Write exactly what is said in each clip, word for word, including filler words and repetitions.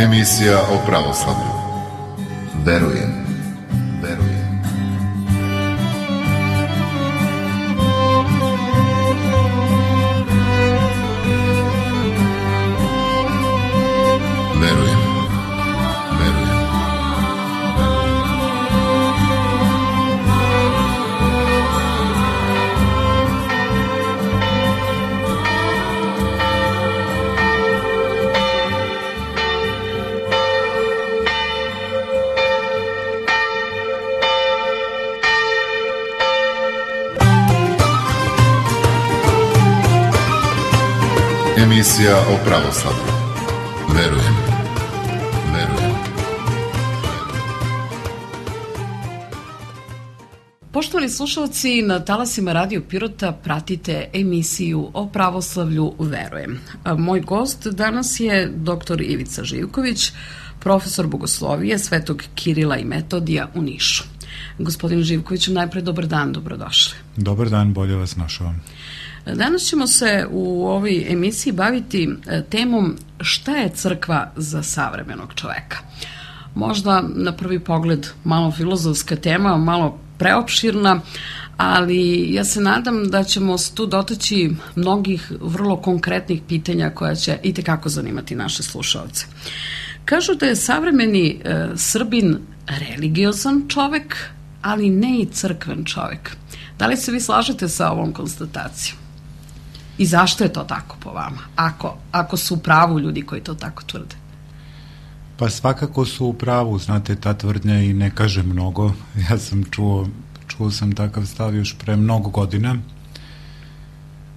Emisija o pravoslavlju. Verujem, verujem. Verujem, verujem. Emisija o pravoslavlju. Verujem, verujem. Poštovani slušalci, na talasima Radio Pirota pratite emisiju o pravoslavlju Verujem. Moj gost danas je doktor Ivica Živković, profesor bogoslovije Svetog Kirila i Metodija u Nišu. Gospodin Živković, najpre dobar dan, dobrodošli. Dobar dan, bolje vas našao. Danas ćemo se u ovoj emisiji baviti temom šta je crkva za savremenog čoveka. Možda na prvi pogled malo filozofska tema, malo preopširna, ali ja se nadam da ćemo se tu dotaći mnogih vrlo konkretnih pitanja koja će itekako zanimati naše slušalce. Kažu da je savremeni e, Srbin religiozan čovek, ali ne i crkven čovek. Da li se vi slažete sa ovom konstatacijom? I zašto je to tako po vama, ako, ako su u pravu ljudi koji to tako tvrde? Pa svakako su u pravu, znate, ta tvrdnja i ne kaže mnogo. Ja sam čuo, čuo sam takav stav još pre mnogo godina.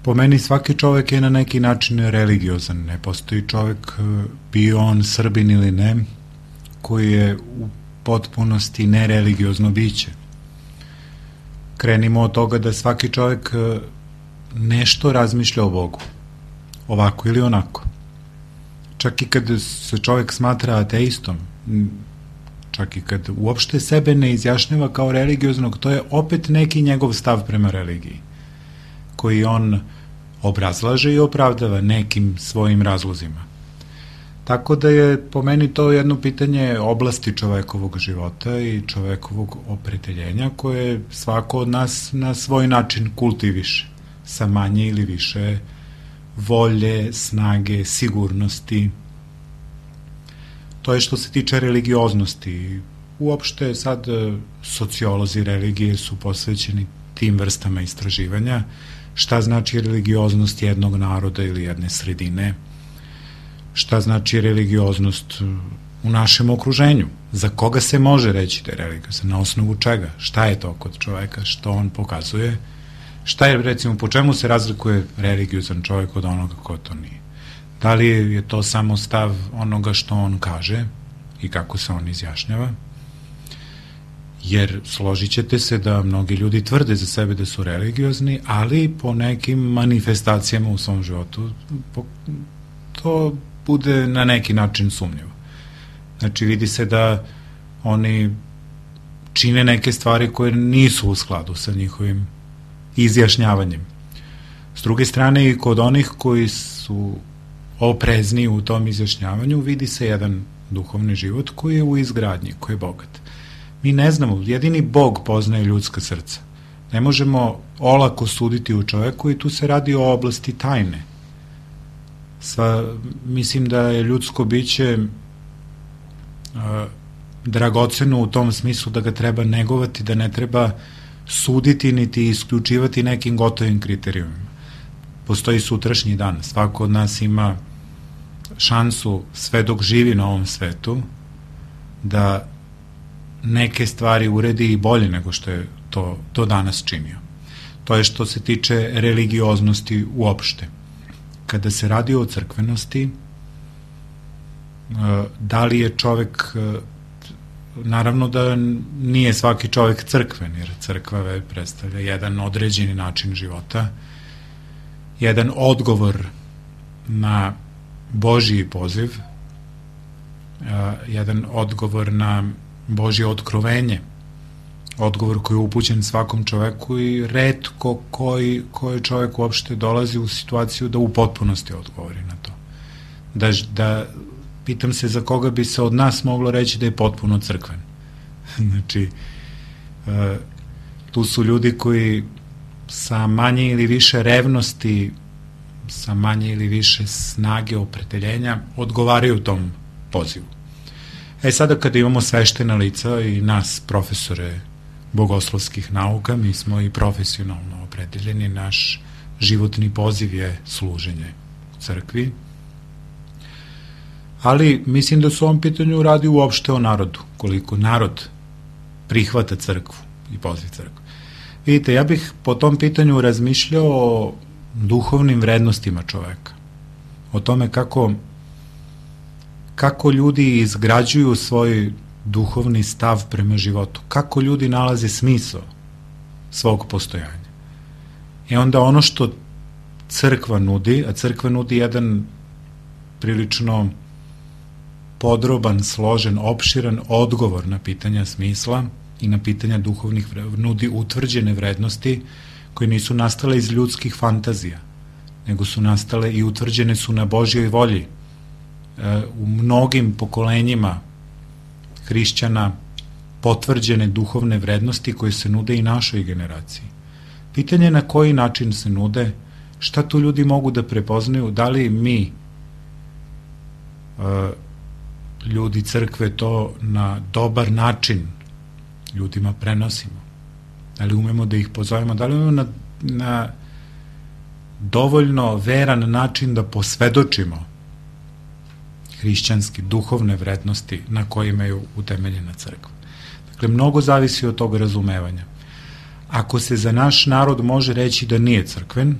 Po meni svaki čovek je na neki način religiozan. Ne postoji čovek, bio on Srbin ili ne, koji je u potpunosti nereligiozno biće. Krenimo od toga da svaki čovek nešto razmišlja o Bogu, ovako ili onako. Čak i kad se čovjek smatra ateistom, čak i kad uopšte sebe ne izjašnjava kao religioznog, to je opet neki njegov stav prema religiji, koji on obrazlaže i opravdava nekim svojim razlozima. Tako da je po meni to jedno pitanje oblasti čovekovog života i čovekovog opredeljenja koje svako od nas na svoj način kultiviše, sa manje ili više volje, snage, sigurnosti. To je što se tiče religioznosti. Uopšte sad sociolozi religije su posvećeni tim vrstama istraživanja. Šta znači religioznost jednog naroda ili jedne sredine? Šta znači religioznost u našem okruženju? Za koga se može reći da je religiozan? Na osnovu čega? Šta je to kod čoveka? Što on pokazuje? Šta je, recimo, po čemu se razlikuje religiozan čovjek od onoga ko to nije? Da li je to samo stav onoga što on kaže i kako se on izjašnjava? Jer složit ćete se da mnogi ljudi tvrde za sebe da su religiozni, ali po nekim manifestacijama u svom životu to bude na neki način sumnjivo. Znači, vidi se da oni čine neke stvari koje nisu u skladu sa njihovim izjašnjavanjem. S druge strane, i kod onih koji su oprezni u tom izjašnjavanju vidi se jedan duhovni život koji je u izgradnji, koji je bogat. Mi ne znamo, jedini Bog poznaje ljudska srca. Ne možemo olako suditi u čoveku i tu se radi o oblasti tajne. Sva, mislim da je ljudsko biće a, dragoceno u tom smislu da ga treba negovati, da ne treba suditi niti isključivati nekim gotovim kriterijumima. Postoji sutrašnji dan. Svako od nas ima šansu sve dok živi na ovom svetu da neke stvari uredi i bolje nego što je to, to danas činio. To je što se tiče religioznosti uopšte. Kada se radi o crkvenosti, da li je čovek, naravno da nije svaki čovek crkven, jer crkva predstavlja jedan određeni način života, jedan odgovor na Božji poziv, jedan odgovor na Božje otkrovenje, odgovor koji je upućen svakom čoveku i retko koji, koji čovek uopšte dolazi u situaciju da u potpunosti odgovori na to. Da, da pitam se za koga bi se od nas moglo reći da je potpuno crkven. Znači, e, tu su ljudi koji sa manje ili više revnosti, sa manje ili više snage opredeljenja odgovaraju tom pozivu. E sada kada imamo sveštena lica i nas profesore bogoslovskih nauka, mi smo i profesionalno opredeljeni, naš životni poziv je služenje u crkvi, ali mislim da su u ovom pitanju radi uopšte o narodu, koliko narod prihvata crkvu i poziv crkvu. Vidite, ja bih po tom pitanju razmišljao o duhovnim vrednostima čoveka, o tome kako kako ljudi izgrađuju svoj duhovni stav prema životu, kako ljudi nalaze smisao svog postojanja. I onda ono što crkva nudi, a crkva nudi jedan prilično podroban, složen, opširan odgovor na pitanja smisla i na pitanja duhovnih vrednosti, nudi utvrđene vrednosti koje nisu nastale iz ljudskih fantazija, nego su nastale i utvrđene su na Božjoj volji. U mnogim pokolenjima hrišćana potvrđene duhovne vrednosti koje se nude i našoj generaciji. Pitanje je na koji način se nude, šta tu ljudi mogu da prepoznaju, da li mi ljudi crkve to na dobar način ljudima prenosimo, da li umemo da ih pozovemo, da li umemo na, na dovoljno veran način da posvedočimo hrišćanski, duhovne vrednosti na kojima je utemeljena crkva. Dakle, mnogo zavisi od tog razumevanja. Ako se za naš narod može reći da nije crkven,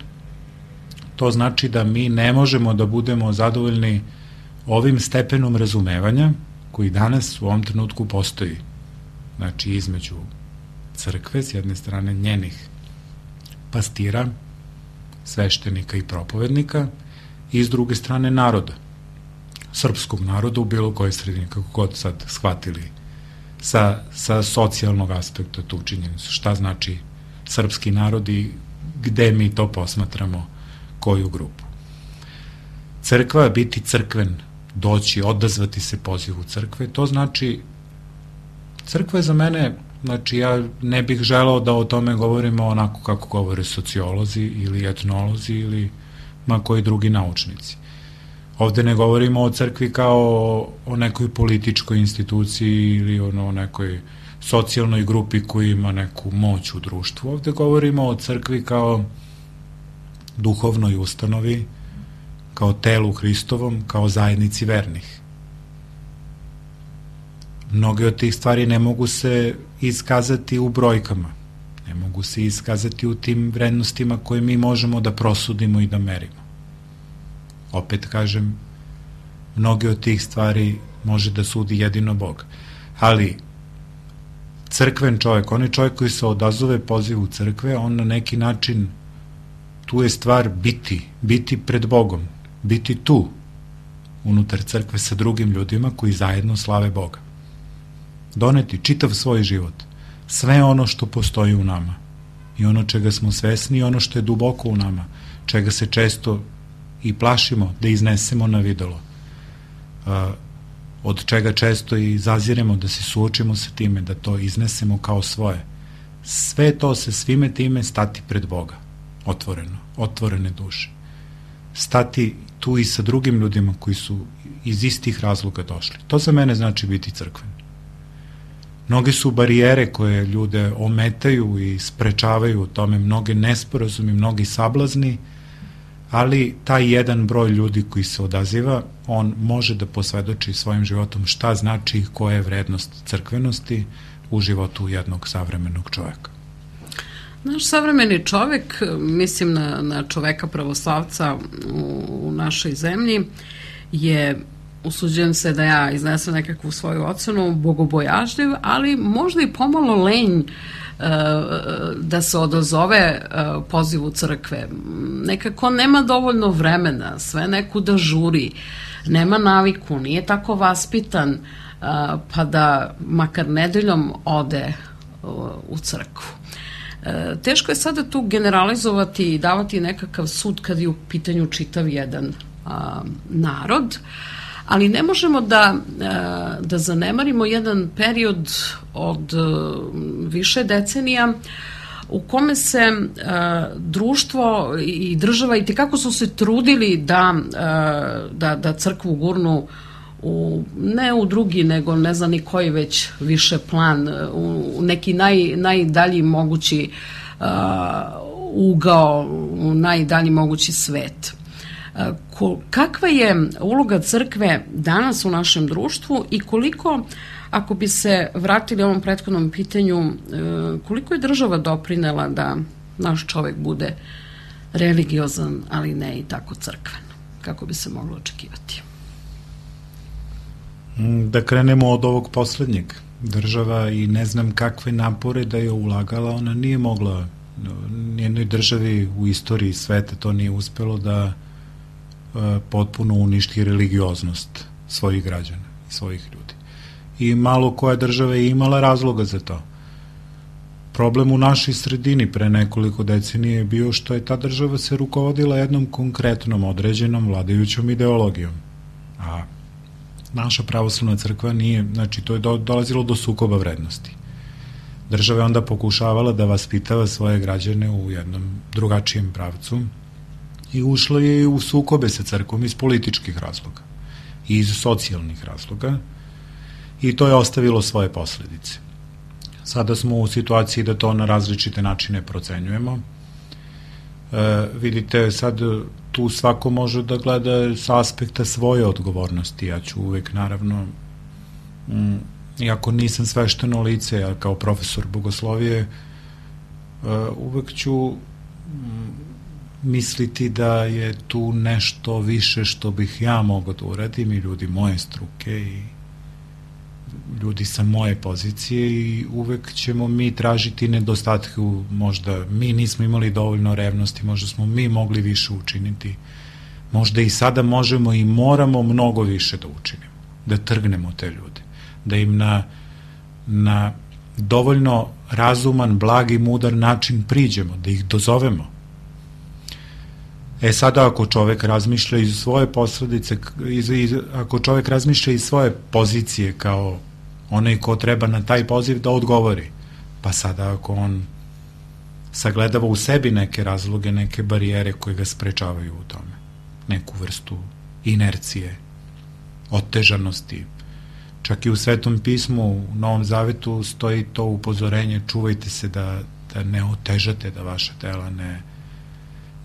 to znači da mi ne možemo da budemo zadovoljni ovim stepenom razumevanja koji danas u ovom trenutku postoji. Znači, između crkve, s jedne strane njenih pastira, sveštenika i propovednika, i s druge strane naroda, srpskog naroda u bilo kojoj sredini, kako god sad shvatili sa, sa socijalnog aspekta tu činjenicu. Šta znači srpski narod i gde mi to posmatramo, koju grupu. Crkva, biti crkven, doći, odazvati se pozivu crkve, to znači, crkva je za mene, znači ja ne bih želao da o tome govorimo onako kako govore sociolozi ili etnolozi ili ma koji drugi naučnici. Ovde ne govorimo o crkvi kao o nekoj političkoj instituciji ili o nekoj socijalnoj grupi koja ima neku moć u društvu. Ovde govorimo o crkvi kao duhovnoj ustanovi, kao telu Hristovom, kao zajednici vernih. Mnoge od tih stvari ne mogu se iskazati u brojkama, ne mogu se iskazati u tim vrednostima koje mi možemo da prosudimo i da merimo. Opet kažem, mnoge od tih stvari može da sudi jedino Bog. Ali crkven čovjek, on je čovjek koji se odazove pozivu crkve, on na neki način, tu je stvar biti, biti pred Bogom, biti tu, unutar crkve sa drugim ljudima koji zajedno slave Boga. Doneti čitav svoj život, sve ono što postoji u nama i ono čega smo svesni i ono što je duboko u nama, čega se često i plašimo da iznesemo na videlo, od čega često i zaziremo da se suočimo sa time, da to iznesemo kao svoje. Sve to se svime time stati pred Boga, otvoreno, otvorene duše. Stati tu i sa drugim ljudima koji su iz istih razloga došli. To za mene znači biti crkven. Mnoge su barijere koje ljude ometaju i sprečavaju u tome, mnoge nesporazumi, mnogi sablazni, ali taj jedan broj ljudi koji se odaziva, on može da posvedoči svojim životom šta znači i koja je vrednost crkvenosti u životu jednog savremenog čoveka. Naš savremeni čovek, mislim na, na čoveka pravoslavca u, u našoj zemlji, je, usuđujem se da ja iznesem nekakvu svoju ocenu, bogobojažljiv, ali možda i pomalo lenj da se odazove pozivu crkve. Nekako nema dovoljno vremena, sve nekuda žuri, nema naviku, nije tako vaspitan, pa da makar nedeljom ode u crkvu. Teško je sada tu generalizovati i davati nekakav sud kad je u pitanju čitav jedan narod, ali ne možemo da, da zanemarimo jedan period od više decenija u kome se društvo i država i tekako su se trudili da, da, da crkvu gurnu u, ne u drugi, nego ne znam ni koji već više plan, u neki naj, najdalji mogući uh, ugao, u najdalji mogući svet. Uh, kakva je uloga crkve danas u našem društvu i koliko, ako bi se vratili ovom prethodnom pitanju, uh, koliko je država doprinela da naš čovek bude religiozan, ali ne i tako crkven, kako bi se moglo očekivati? Da krenemo od ovog poslednjeg. Država i ne znam kakve napore da je ulagala, ona nije mogla, nijednoj državi u istoriji sveta to nije uspelo da e, potpuno uništi religioznost svojih građana i svojih ljudi. I malo koja država je imala razloga za to. Problem u našoj sredini pre nekoliko decenije je bio što je ta država se rukovodila jednom konkretnom određenom vladajućom ideologijom. A naša pravoslavna crkva nije, znači to je do, dolazilo do sukoba vrednosti. Država je onda pokušavala da vaspitava svoje građane u jednom drugačijem pravcu i ušla je u sukobe sa crkvom iz političkih razloga i iz socijalnih razloga i to je ostavilo svoje posledice. Sada smo u situaciji da to na različite načine procenjujemo. E, vidite, sad tu svako može da gleda sa aspekta svoje odgovornosti. Ja ću uvek, naravno, mm, iako nisam svešteno lice, ja kao profesor bogoslovije, uh, uvek ću mm, misliti da je tu nešto više što bih ja mogao da uradim i ljudi moje struke i ljudi sa moje pozicije i uvek ćemo mi tražiti nedostatke, možda mi nismo imali dovoljno revnosti, možda smo mi mogli više učiniti, možda i sada možemo i moramo mnogo više da učinimo, da trgnemo te ljude, da im na, na dovoljno razuman, blag i mudar način priđemo, da ih dozovemo. E sada ako čovek razmišlja iz svoje posledice, iz, iz, ako čovek razmišlja iz svoje pozicije kao onaj ko treba na taj poziv da odgovori, pa sada ako on sagledava u sebi neke razloge, neke barijere koje ga sprečavaju u tome, neku vrstu inercije, otežanosti, čak i u Svetom pismu, u Novom Zavetu stoji to upozorenje, čuvajte se da, da ne otežate, da vaša tela ne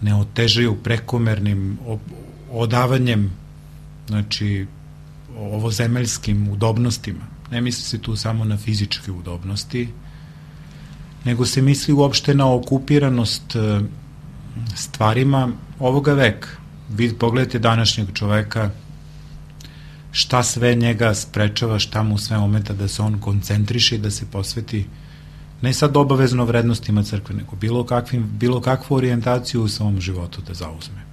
ne otežaju prekomernim odavanjem, znači ovozemeljskim udobnostima. Ne misli se tu samo na fizičke udobnosti, nego se misli uopšte na okupiranost stvarima ovoga veka. Vi pogledajte današnjeg čoveka, šta sve njega sprečava, šta mu sve ometa da se on koncentriše i da se posveti ne sad obavezno vrednostima crkve, nego bilo, kakvim, bilo kakvu orijentaciju u svom životu da zauzme.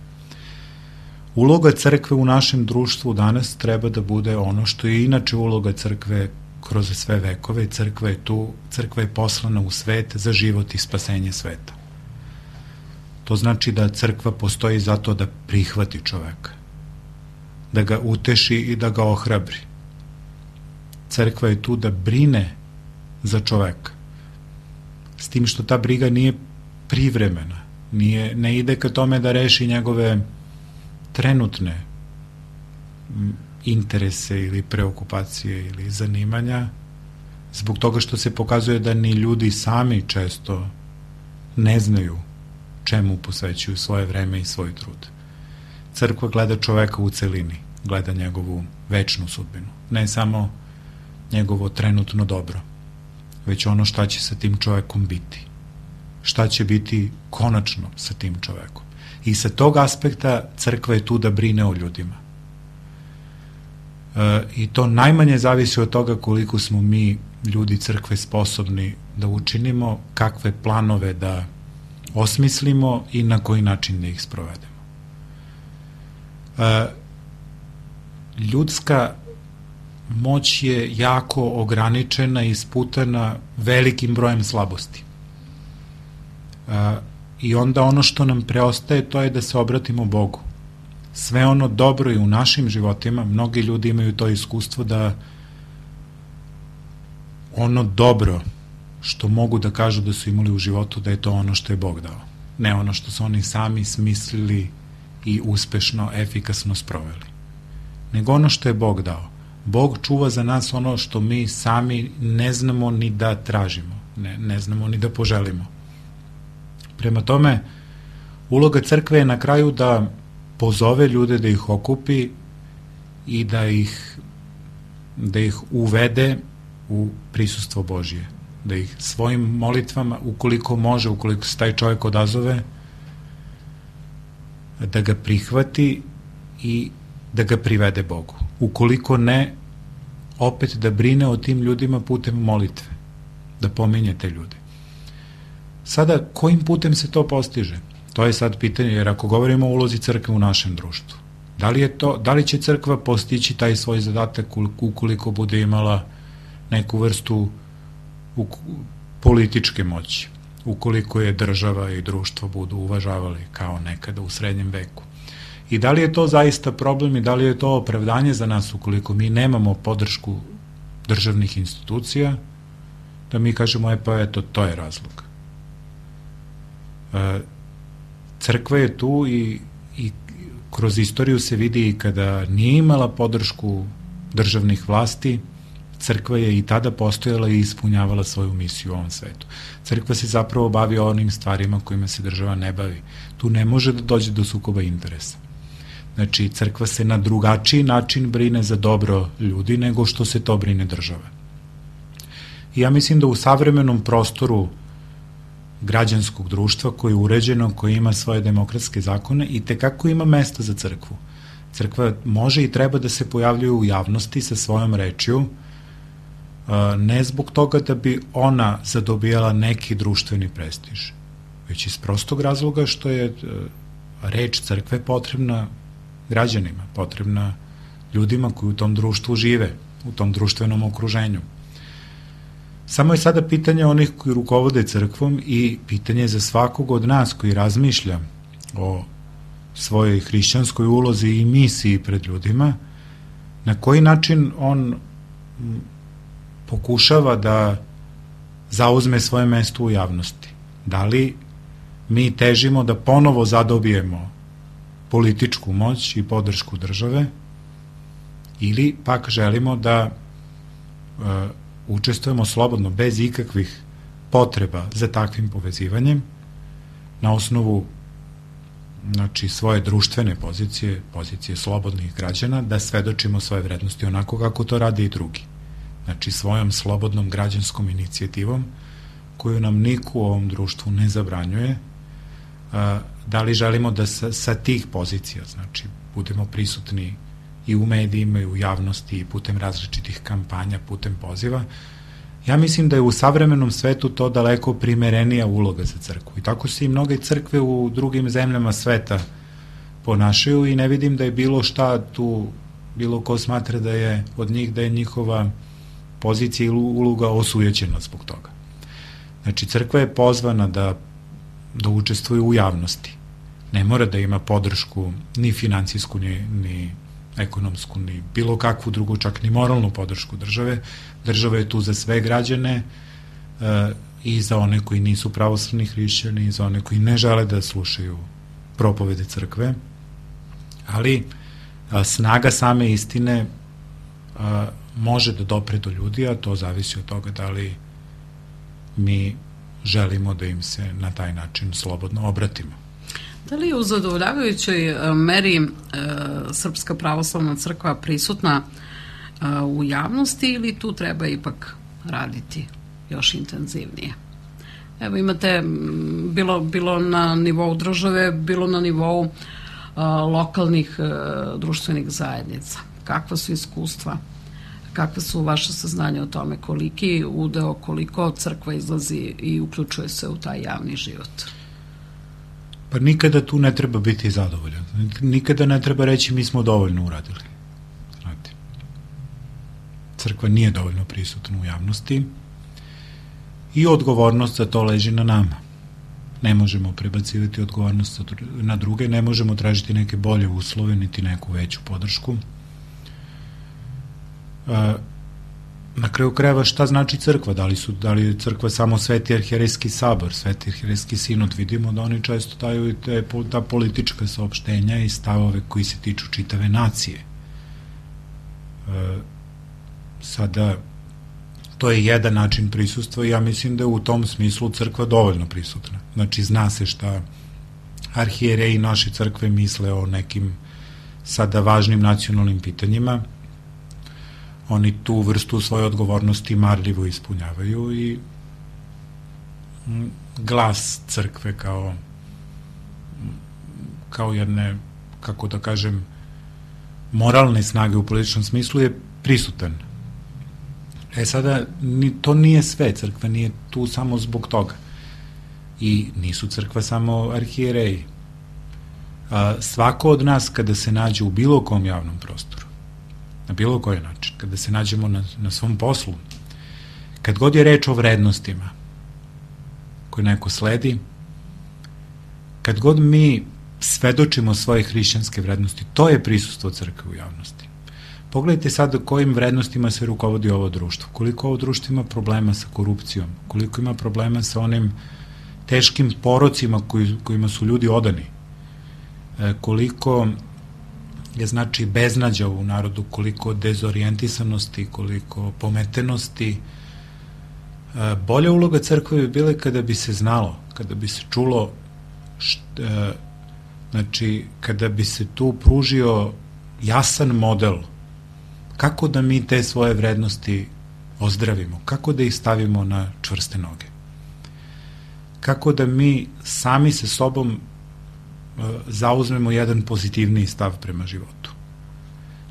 Uloga crkve u našem društvu danas treba da bude ono što je inače uloga crkve kroz sve vekove. Crkva je tu, crkva je poslana u svet za život i spasenje sveta. To znači da crkva postoji zato da prihvati čoveka, da ga uteši i da ga ohrabri. Crkva je tu da brine za čoveka, s tim što ta briga nije privremena, nije, ne ide ka tome da reši njegove trenutne interese ili preokupacije ili zanimanja, zbog toga što se pokazuje da ni ljudi sami često ne znaju čemu posvećuju svoje vreme i svoj trud. Crkva gleda čoveka u celini, gleda njegovu večnu sudbinu, ne samo njegovo trenutno dobro, već ono šta će sa tim čovekom biti, šta će biti konačno sa tim čovekom. I sa tog aspekta crkva je tu da brine o ljudima. E, I to najmanje zavisi od toga koliko smo mi, ljudi crkve, sposobni da učinimo, kakve planove da osmislimo i na koji način da ih sprovedemo. E, ljudska moć je jako ograničena i isputana velikim brojem slabosti. E, I onda ono što nam preostaje to je da se obratimo Bogu sve ono dobro i u našim životima, mnogi ljudi imaju to iskustvo da ono dobro što mogu da kažu da su imali u životu, da je to ono što je Bog dao. Ne ono što su oni sami smislili i uspešno, efikasno sproveli. Nego ono što je Bog dao. Bog čuva za nas ono što mi sami ne znamo ni da tražimo, ne, ne znamo ni da poželimo. Prema tome, uloga crkve je na kraju da pozove ljude, da ih okupi i da ih, da ih uvede u prisustvo Božije. Da ih svojim molitvama, ukoliko može, ukoliko se taj čovjek odazove, da ga prihvati i da ga privede Bogu. Ukoliko ne, opet da brine o tim ljudima putem molitve, da pominje te ljude. Sada, kojim putem se to postiže? To je sad pitanje, jer ako govorimo o ulozi crkve u našem društvu, da li, je to, da li će crkva postići taj svoj zadatak ukoliko bude imala neku vrstu političke moći, ukoliko je država i društvo budu uvažavali kao nekada u srednjem veku? I da li je to zaista problem i da li je to opravdanje za nas ukoliko mi nemamo podršku državnih institucija, da mi kažemo, e pa eto, to je razlog. Crkva je tu i, i kroz istoriju se vidi i kada nije imala podršku državnih vlasti, crkva je i tada postojala i ispunjavala svoju misiju u ovom svetu. Crkva se zapravo bavi onim stvarima kojima se država ne bavi. Tu ne može da dođe do sukoba interesa. Znači, crkva se na drugačiji način brine za dobro ljudi nego što se to brine država. I ja mislim da u savremenom prostoru građanskog društva koje je uređeno, koje ima svoje demokratske zakone i tekako ima mesta za crkvu. Crkva može i treba da se pojavljuje u javnosti sa svojom rečju, ne zbog toga da bi ona zadobijala neki društveni prestiž, već iz prostog razloga što je reč crkve potrebna građanima, potrebna ljudima koji u tom društvu žive, u tom društvenom okruženju. Samo je sada pitanje onih koji rukovode crkvom i pitanje za svakog od nas koji razmišlja o svojoj hrišćanskoj ulozi i misiji pred ljudima, na koji način on pokušava da zauzme svoje mesto u javnosti. Da li mi težimo da ponovo zadobijemo političku moć i podršku države ili pak želimo da uh, učestvujemo slobodno, bez ikakvih potreba za takvim povezivanjem, na osnovu znači, svoje društvene pozicije, pozicije slobodnih građana, da svedočimo svoje vrednosti onako kako to rade i drugi. Znači, svojom slobodnom građanskom inicijativom, koju nam niko u ovom društvu ne zabranjuje, da li želimo da sa, sa tih pozicija, znači, budemo prisutni i u medijima i u javnosti i putem različitih kampanja, putem poziva. Ja mislim da je u savremenom svetu to daleko primerenija uloga za crkvu. I tako se i mnoge crkve u drugim zemljama sveta ponašaju i ne vidim da je bilo šta tu, bilo ko smatra da je od njih, da je njihova pozicija ili uloga osujećena zbog toga. Znači, crkva je pozvana da, da učestvuje u javnosti. Ne mora da ima podršku ni finansijsku, ni, ni ekonomsku, ni bilo kakvu drugu, čak ni moralnu podršku države. Država je tu za sve građane e, i za one koji nisu pravoslavni hrišćani i za one koji ne žele da slušaju propovede crkve. Ali a, snaga same istine a, može da dopre do ljudi, a to zavisi od toga da li mi želimo da im se na taj način slobodno obratimo. Da li je u zadovoljavajućoj meri e, Srpska pravoslavna crkva prisutna e, u javnosti ili tu treba ipak raditi još intenzivnije? Evo imate bilo, bilo na nivou države, bilo na nivou e, lokalnih e, društvenih zajednica. Kakva su iskustva? Kakve su vaše saznanje o tome? Koliki udeo, koliko crkva izlazi i uključuje se u taj javni život? Pa nikada tu ne treba biti zadovoljan. Nikada ne treba reći mi smo dovoljno uradili. Znate, crkva nije dovoljno prisutna u javnosti i odgovornost za to leži na nama. ne možemo prebacivati odgovornost na druge, ne možemo tražiti neke bolje uslove, niti neku veću podršku. Na kraju krajeva šta znači crkva? Da li, su, da li je crkva samo Sveti arhijerejski sabor, Sveti arhijerejski sinod? Vidimo da oni često daju te, ta politička saopštenja i stavove koji se tiču čitave nacije. E, sada, to je jedan način prisustva i ja mislim da je u tom smislu crkva dovoljno prisutna. Znači, zna se šta arhijereji naše crkve misle o nekim sada važnim nacionalnim pitanjima. Oni tu vrstu svoje odgovornosti marljivo ispunjavaju i glas crkve kao kao jedne, kako da kažem, moralne snage u političnom smislu je prisutan. E sada, to nije sve, crkva nije tu samo zbog toga. I nisu crkva samo arhijereji. Svako od nas kada se nađe u bilo kom javnom prostoru, na bilo koji način, kada se nađemo na, na svom poslu, kad god je reč o vrednostima koje neko sledi, kad god mi svedočimo svoje hrišćanske vrednosti, to je prisustvo crkve u javnosti. Pogledajte sad kojim vrednostima se rukovodi ovo društvo, koliko ovo društvo ima problema sa korupcijom, koliko ima problema sa onim teškim porocima koji, kojima su ljudi odani, e, koliko je znači beznađa u narodu, koliko dezorijentisanosti, koliko pometenosti. Bolja uloga crkve bi bila kada bi se znalo, kada bi se čulo, šta, znači kada bi se tu pružio jasan model kako da mi te svoje vrednosti ozdravimo, kako da ih stavimo na čvrste noge, kako da mi sami sa sobom zauzmemo jedan pozitivniji stav prema životu.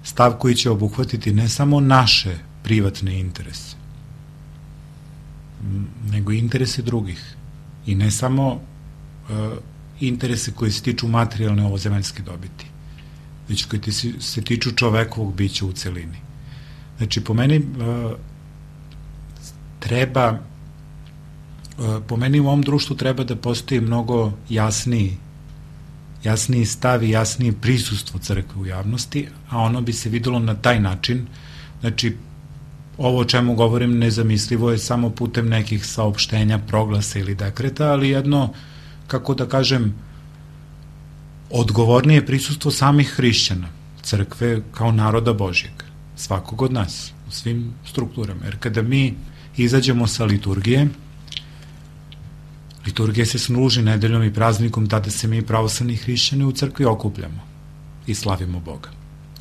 Stav koji će obuhvatiti ne samo naše privatne interese, nego i interese drugih. I ne samo uh, interese koji se tiču materijalne ovozemaljske dobiti, već koji se tiču čovekovog bića u celini. Znači, po meni uh, treba, uh, po meni u ovom društvu treba da postoji mnogo jasniji jasniji stav i jasnije prisustvo crkve u javnosti, a ono bi se videlo na taj način. Znači, ovo o čemu govorim nezamislivo je samo putem nekih saopštenja, proglasa ili dekreta, ali jedno, kako da kažem, odgovornije prisustvo samih hrišćana, crkve kao naroda Božjeg, svakog od nas, u svim strukturama. Jer kada mi izađemo sa liturgije, liturgija se služi nedeljom i praznikom, tada se mi pravoslavni hrišćani u crkvi okupljamo i slavimo Boga.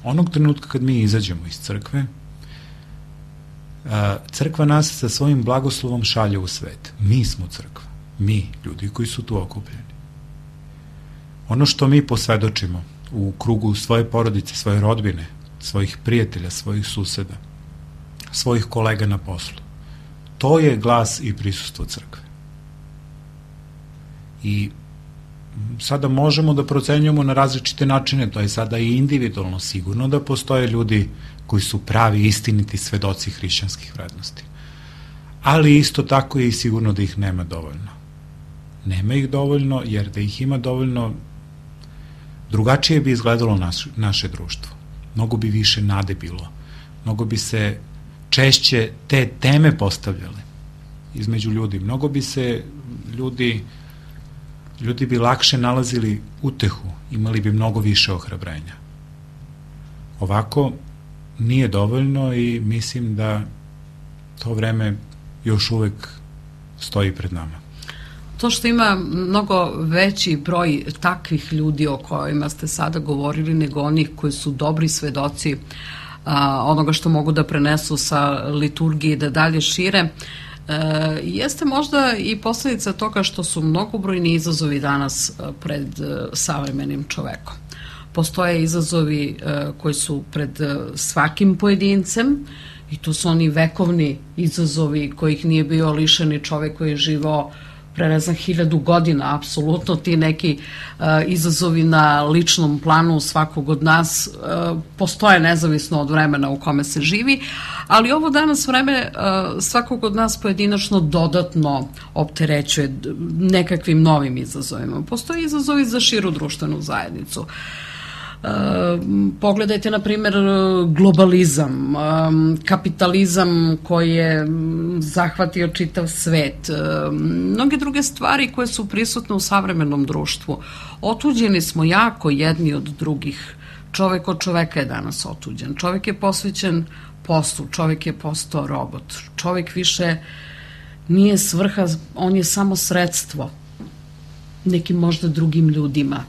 Onog trenutka kad mi izađemo iz crkve, crkva nas sa svojim blagoslovom šalje u svet. Mi smo crkva. Mi, ljudi koji su tu okupljeni. Ono što mi posvedočimo u krugu svoje porodice, svoje rodbine, svojih prijatelja, svojih suseda, svojih kolega na poslu, to je glas i prisustvo crkve. I sada možemo da procenjujemo na različite načine, to je sada i individualno, sigurno da postoje ljudi koji su pravi, istiniti svedoci hrišćanskih vrednosti. Ali isto tako je i sigurno da ih nema dovoljno. Nema ih dovoljno, jer da ih ima dovoljno, drugačije bi izgledalo naš, naše društvo. Mnogo bi više nade bilo. Mnogo bi se češće te teme postavljale između ljudi. Mnogo bi se ljudi ljudi bi lakše nalazili utehu, imali bi mnogo više ohrabrenja. Ovako nije dovoljno i mislim da to vreme još uvek stoji pred nama. To što ima mnogo veći broj takvih ljudi o kojima ste sada govorili nego onih koji su dobri svedoci a, onoga što mogu da prenesu sa liturgije i da dalje šire, E, jeste možda i posledica toga što su mnogobrojni izazovi danas pred e, savremenim čovekom. Postoje izazovi e, koji su pred e, svakim pojedincem i to su oni vekovni izazovi kojih nije bio lišeni čovek koji je živao pre ne znam hiljadu godina, apsolutno ti neki uh, izazovi na ličnom planu svakog od nas uh, postoje nezavisno od vremena u kome se živi, ali ovo danas vreme uh, svakog od nas pojedinačno dodatno opterećuje nekakvim novim izazovima. Postoje izazovi za širu društvenu zajednicu. Uh, pogledajte na primjer globalizam, um, kapitalizam koji je zahvatio čitav svet, um, mnoge druge stvari koje su prisutne u savremenom društvu. Otuđeni smo jako jedni od drugih. Čovek od čoveka je danas otuđen. Čovek je posvećen poslu, čovek je postao robot. Čovek više nije svrha, on je samo sredstvo nekim možda drugim ljudima.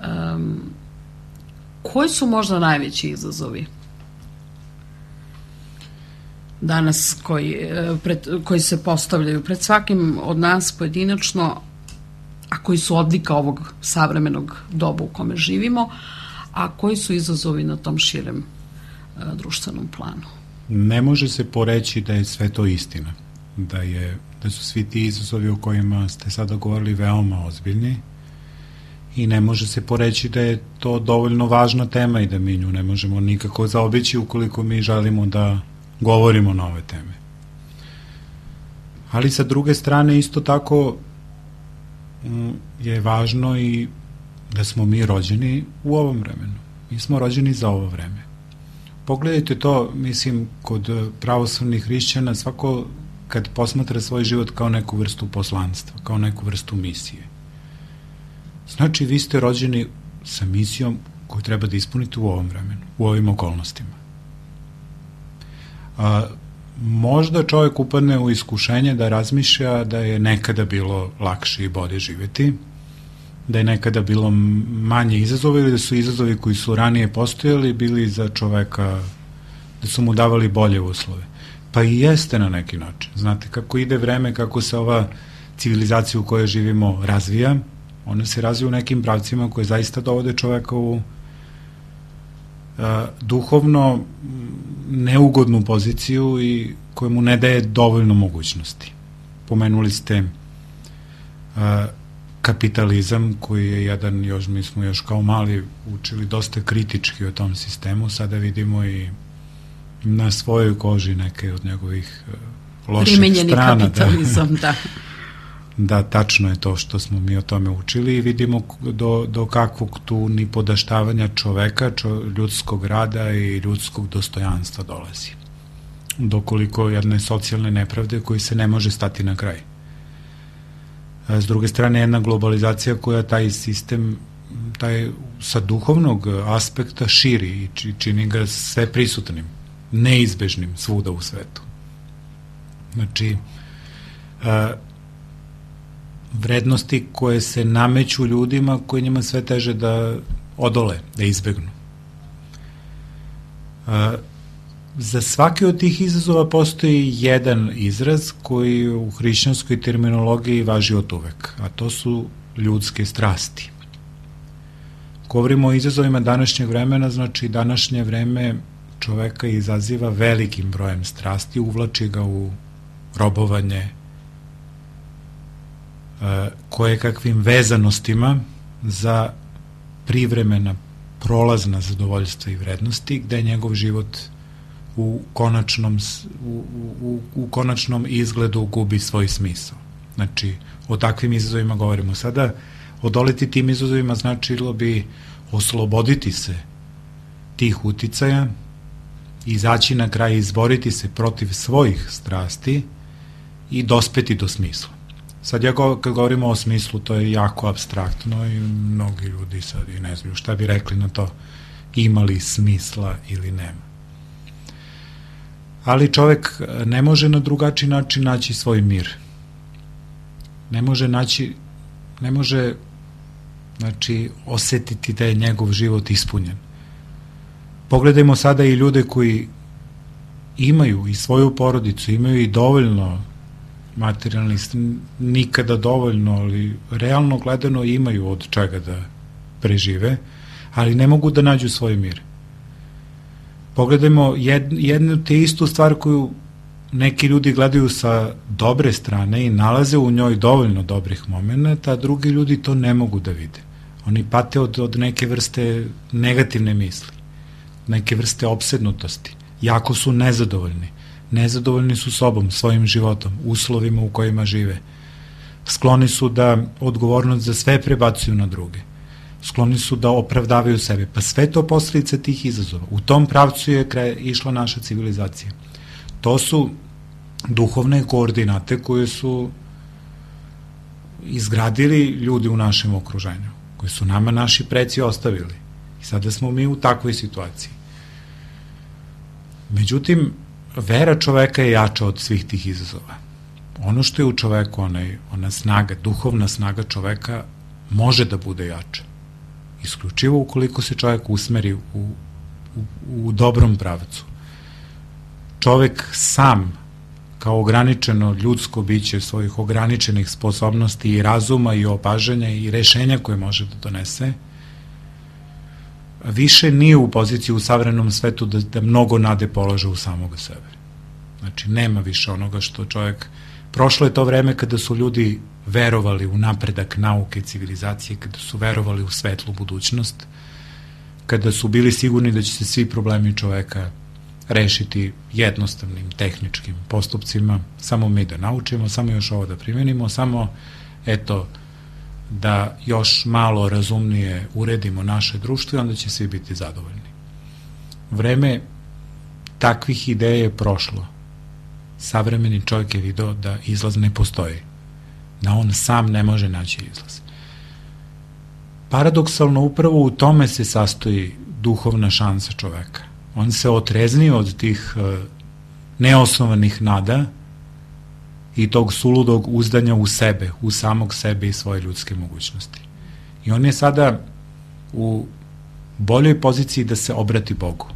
Um, Koji su možda najveći izazovi danas koji, pred, koji se postavljaju pred svakim od nas pojedinačno, a koji su odlika ovog savremenog doba u kome živimo, a koji su izazovi na tom širem a, društvenom planu? Ne može se poreći da je sve to istina, da, je, da su svi ti izazovi o kojima ste sada govorili veoma ozbiljni, i ne može se poreći da je to dovoljno važna tema i da mi nju ne možemo nikako zaobići ukoliko mi želimo da govorimo na ove teme. Ali sa druge strane isto tako je važno i da smo mi rođeni u ovom vremenu. Mi smo rođeni za ovo vreme. Pogledajte to, mislim, kod pravoslavnih hrišćana svako kad posmatra svoj život kao neku vrstu poslanstva, kao neku vrstu misije. Znači, vi ste rođeni sa misijom koju treba da ispunite u ovom vremenu, u ovim okolnostima. A, možda čovjek upadne u iskušenje da razmišlja da je nekada bilo lakše i bolje živeti, da je nekada bilo manje izazova ili da su izazovi koji su ranije postojali bili za čoveka, da su mu davali bolje uslove. Pa i jeste na neki način. Znate, kako ide vreme, kako se ova civilizacija u kojoj živimo razvija, ona se razvija u nekim pravcima koje zaista dovode čoveka u a, duhovno neugodnu poziciju i koje mu ne daje dovoljno mogućnosti. Pomenuli ste a, kapitalizam koji je jedan, još mi smo još kao mali učili dosta kritički o tom sistemu, sada vidimo i na svojoj koži neke od njegovih loših primenjeni strana. Primenjeni kapitalizam, da. da. Da, tačno je to što smo mi o tome učili i vidimo do, do kakvog tu nipodaštavanja čoveka, čo, ljudskog rada i ljudskog dostojanstva dolazi. Dokoliko jedne socijalne nepravde koji se ne može stati na kraj. A s druge strane, jedna globalizacija koja taj sistem taj, sa duhovnog aspekta širi i čini ga sve prisutnim, neizbežnim svuda u svetu. Znači, a, vrednosti koje se nameću ljudima koji njima sve teže da odole, da izbegnu. A, za svaki od tih izazova postoji jedan izraz koji u hrišćanskoj terminologiji važi od uvek, a to su ljudske strasti. Govorimo o izazovima današnjeg vremena, znači današnje vreme čoveka izaziva velikim brojem strasti, uvlači ga u robovanje, koje kakvim vezanostima za privremena prolazna zadovoljstva i vrednosti, gde njegov život u konačnom, u, u, u konačnom izgledu gubi svoj smisao. Znači, o takvim izazovima govorimo sada. Odoleti tim izazovima značilo bi osloboditi se tih uticaja, izaći na kraj i izboriti se protiv svojih strasti i dospeti do smisla. Sad ja go, kad govorimo o smislu, to je jako apstraktno i mnogi ljudi sad i ne znaju šta bi rekli na to, ima li smisla ili nema. Ali čovek ne može na drugačiji način naći svoj mir. Ne može naći, ne može znači osetiti da je njegov život ispunjen. Pogledajmo sada i ljude koji imaju i svoju porodicu, imaju i dovoljno materijalni, nikada dovoljno, ali realno gledano imaju od čega da prežive, ali ne mogu da nađu svoj mir. Pogledajmo jed, jednu te istu stvar koju neki ljudi gledaju sa dobre strane i nalaze u njoj dovoljno dobrih momenta, a drugi ljudi to ne mogu da vide. Oni pate od, od neke vrste negativne misli, neke vrste opsednutosti. Jako su nezadovoljni. Nezadovoljni su sobom, svojim životom, uslovima u kojima žive. Skloni su da odgovornost za sve prebacuju na druge. Skloni su da opravdavaju sebe. Pa sve to posljedice tih izazova. U tom pravcu je kraj, išla naša civilizacija. To su duhovne koordinate koje su izgradili ljudi u našem okruženju, koje su nama naši preci ostavili. I sada smo mi u takvoj situaciji. Međutim, vera čoveka je jača od svih tih izazova. Ono što je u čoveku, onaj, ona snaga, duhovna snaga čoveka može da bude jača. Isključivo ukoliko se čovek usmeri u, u, u dobrom pravcu. Čovek sam, kao ograničeno ljudsko biće svojih ograničenih sposobnosti i razuma i opažanja i rešenja koje može da donese, više nije u poziciji u savremenom svetu da, da mnogo nade polaže u samoga sebe. Znači, nema više onoga što čovjek... Prošlo je to vreme kada su ljudi verovali u napredak nauke i civilizacije, kada su verovali u svetlu budućnost, kada su bili sigurni da će se svi problemi čoveka rešiti jednostavnim tehničkim postupcima, samo mi da naučimo, samo još ovo da primenimo, samo, eto, da još malo razumnije uredimo naše društvo i onda će svi biti zadovoljni. Vreme takvih ideja je prošlo. Savremeni čovjek je video da izlaz ne postoji, da on sam ne može naći izlaz. Paradoksalno upravo u tome se sastoji duhovna šansa čoveka. On se otreznio od tih uh, neosnovanih nada i tog suludog uzdanja u sebe, u samog sebe i svoje ljudske mogućnosti. I on je sada u boljoj poziciji da se obrati Bogu,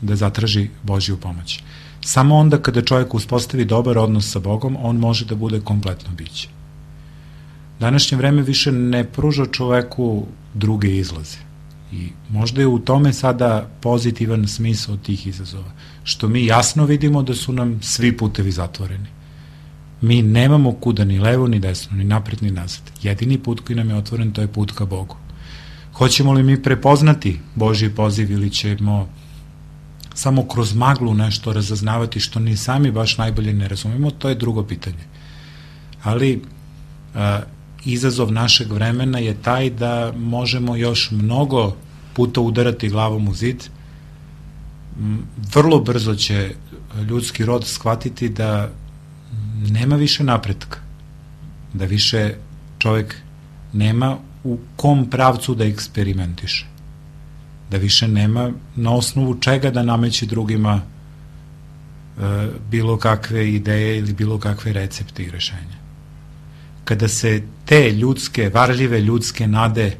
da zatraži Božju pomoć. Samo onda kada čovjek uspostavi dobar odnos sa Bogom, on može da bude kompletno biće. Današnje vreme više ne pruža čoveku druge izlaze. I možda je u tome sada pozitivan smisao tih izazova, što mi jasno vidimo da su nam svi putevi zatvoreni. Mi nemamo kuda ni levo, ni desno, ni napred, ni nazad. Jedini put koji nam je otvoren, to je put ka Bogu. Hoćemo li mi prepoznati Božji poziv ili ćemo samo kroz maglu nešto razaznavati što ni sami baš najbolje ne razumemo, to je drugo pitanje. Ali a, izazov našeg vremena je taj da možemo još mnogo puta udarati glavom u zid. Vrlo brzo će ljudski rod shvatiti da nema više napretka, da više čovjek nema u kom pravcu da eksperimentiše, da više nema na osnovu čega da nameće drugima e, bilo kakve ideje ili bilo kakve recepte i rešenja. Kada se te ljudske, varljive ljudske nade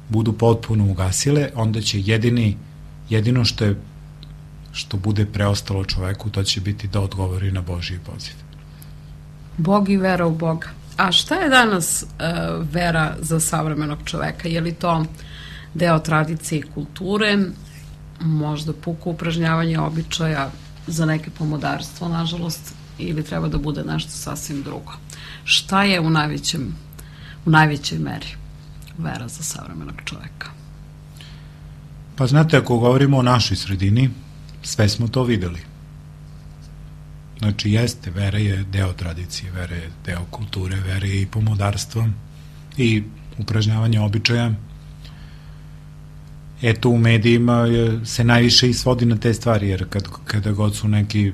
budu potpuno ugasile, onda će jedini, jedino što je što bude preostalo čoveku, to će biti da odgovori na Božji poziv. Bog i vera u Boga. A šta je danas uh, vera za savremenog čoveka? Je li to deo tradicije i kulture, možda puko upražnjavanje običaja, za neke pomodarstvo, nažalost, ili treba da bude nešto sasvim drugo? Šta je u najvećem, u najvećoj meri vera za savremenog čoveka? Pa znate, ako govorimo o našoj sredini, sve smo to videli. Znači, jeste, vera je deo tradicije, vera je deo kulture, vera je i pomodarstvo i upražnjavanje običaja. Eto, u medijima se najviše i svodi na te stvari, jer kad, kada god su neki,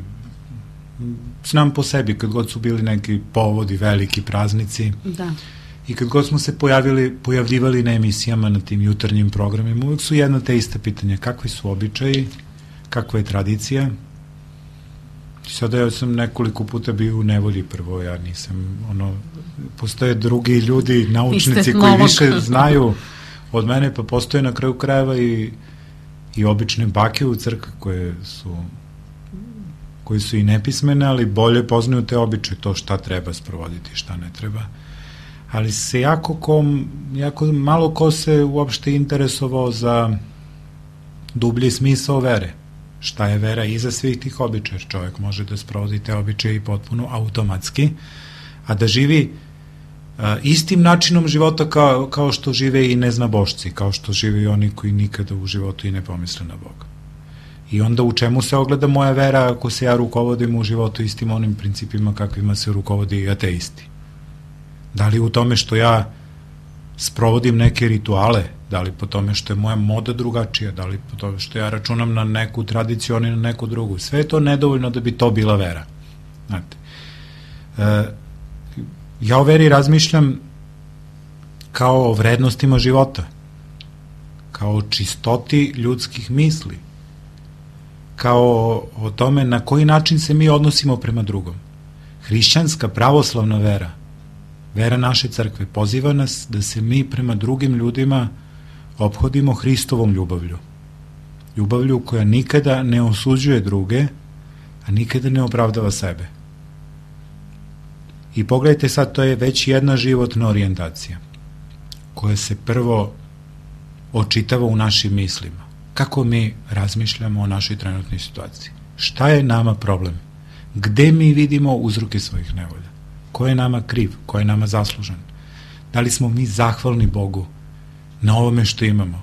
znam po sebi, kad god su bili neki povodi, veliki praznici, da. I kad god smo se pojavili, pojavljivali na emisijama, na tim jutarnjim programima, uvijek su jedna te ista pitanja, kakvi su običaji, kakva je tradicija. Sada ja sam nekoliko puta bio u nevolji prvo, ja nisam, ono, postoje drugi ljudi, naučnici koji više znaju od mene, pa postoje na kraju krajeva i, i obične bake u crkvi koje su koji su i nepismene, ali bolje poznaju te običaje, to šta treba sprovoditi, šta ne treba. Ali se jako, ko, jako malo ko se uopšte interesovao za dublji smisao vere. šta je vera iza svih tih običaja. Čovjek može da sprovodi te običaje i potpuno automatski, a da živi a, istim načinom života kao, kao što žive i neznabošci, kao što žive i oni koji nikada u životu i ne pomisle na Boga. I onda u čemu se ogleda moja vera ako se ja rukovodim u životu istim onim principima kakvima se rukovodi i ateisti? Da li u tome što ja sprovodim neke rituale, da li po tome što je moja moda drugačija, da li po tome što ja računam na neku tradiciju, oni na neku drugu. Sve je to nedovoljno da bi to bila vera. Znate, e, ja o veri razmišljam kao o vrednostima života, kao o čistoti ljudskih misli, kao o tome na koji način se mi odnosimo prema drugom. Hrišćanska pravoslavna vera, vera naše crkve, poziva nas da se mi prema drugim ljudima ophodimo Hristovom ljubavlju. Ljubavlju koja nikada ne osuđuje druge, a nikada ne opravdava sebe. I pogledajte sad, to je već jedna životna orijentacija koja se prvo očitava u našim mislima. Kako mi razmišljamo o našoj trenutnoj situaciji? Šta je nama problem? Gde mi vidimo uzroke svojih nevolja? Ko je nama kriv? Ko je nama zaslužan? Da li smo mi zahvalni Bogu na ovome što imamo?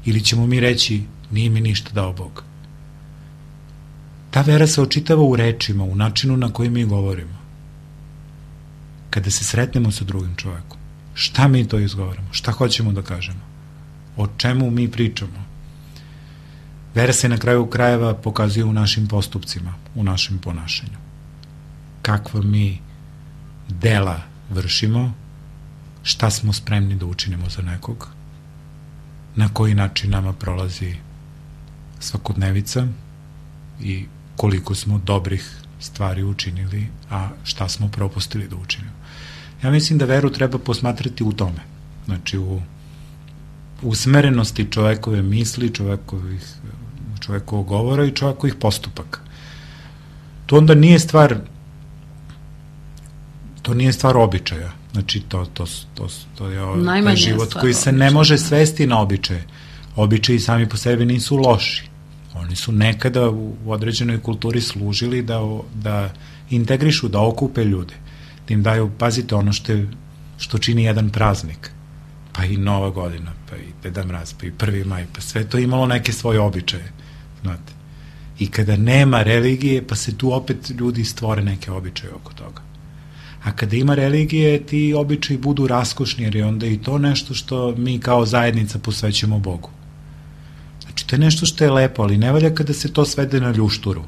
Ili ćemo mi reći, nije mi ništa dao Bog? Ta vera se očitava u rečima, u načinu na koji mi govorimo. Kada se sretnemo sa drugim čovekom, šta mi to izgovaramo? Šta hoćemo da kažemo? O čemu mi pričamo? Vera se na kraju krajeva pokazuje u našim postupcima, u našem ponašanju. Kakva mi dela vršimo, šta smo spremni da učinimo za nekog, na koji način nama prolazi svakodnevica i koliko smo dobrih stvari učinili, a šta smo propustili da učinimo. Ja mislim da veru treba posmatrati u tome, znači u usmerenosti čovekove misli, čovekovih, čovekovog govora i čovekovih postupaka. To onda nije stvar to nije stvar običaja, znači to, to, to, to je ovaj život koji se ne može svesti na običaje. Običaji sami po sebi nisu loši. Oni su nekada u određenoj kulturi služili da, da integrišu, da okupe ljude, da im daju, pazite, ono što, je, što čini jedan praznik, pa i Nova godina, pa i Deda Mraz, pa i prvi maj, pa sve to imalo neke svoje običaje, znate. I kada nema religije, pa se tu opet ljudi stvore neke običaje oko toga. A kada ima religije, ti običaji budu raskošni, jer je onda i to nešto što mi kao zajednica posvećujemo Bogu. Znači, to je nešto što je lepo, ali ne valja kada se to svede na ljušturu.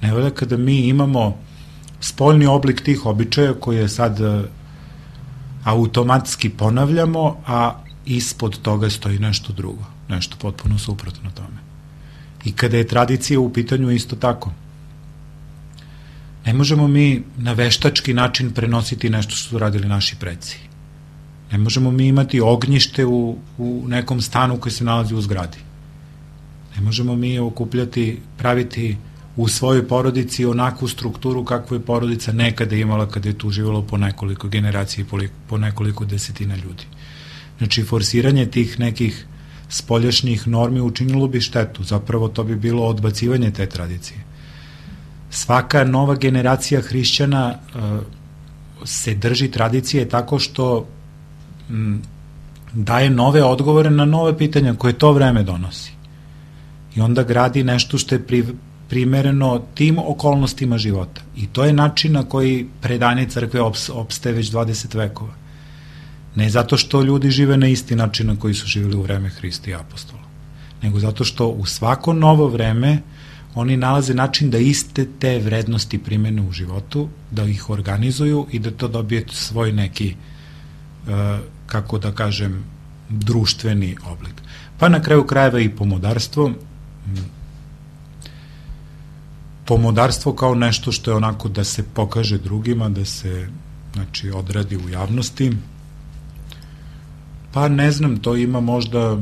Ne valja kada mi imamo spoljni oblik tih običaja koje sad automatski ponavljamo, a ispod toga stoji nešto drugo, nešto potpuno suprotno tome. I kada je tradicija u pitanju isto tako. Ne možemo mi na veštački način prenositi nešto što su radili naši preci. Ne možemo mi imati ognjište u, u nekom stanu koji se nalazi u zgradi. Ne možemo mi okupljati, praviti u svojoj porodici onakvu strukturu kakvu je porodica nekada imala kada je tu živjelo po nekoliko generacija i po nekoliko desetina ljudi. Znači, forsiranje tih nekih spoljašnjih normi učinilo bi štetu. Zapravo to bi bilo odbacivanje te tradicije. Svaka nova generacija hrišćana uh, se drži tradicije tako što m, daje nove odgovore na nove pitanja koje to vreme donosi. I onda gradi nešto što je pri, primereno tim okolnostima života. I to je način na koji predanje crkve ops, opstaje već dvadeset vekova. Ne zato što ljudi žive na isti način na koji su živjeli u vreme Hrista i apostola, nego zato što u svako novo vreme oni nalaze način da iste te vrednosti primene u životu, da ih organizuju i da to dobije svoj neki, kako da kažem, društveni oblik. Pa na kraju krajeva i pomodarstvo. Pomodarstvo kao nešto što je onako da se pokaže drugima, da se, znači, odradi u javnosti. Pa ne znam, to ima možda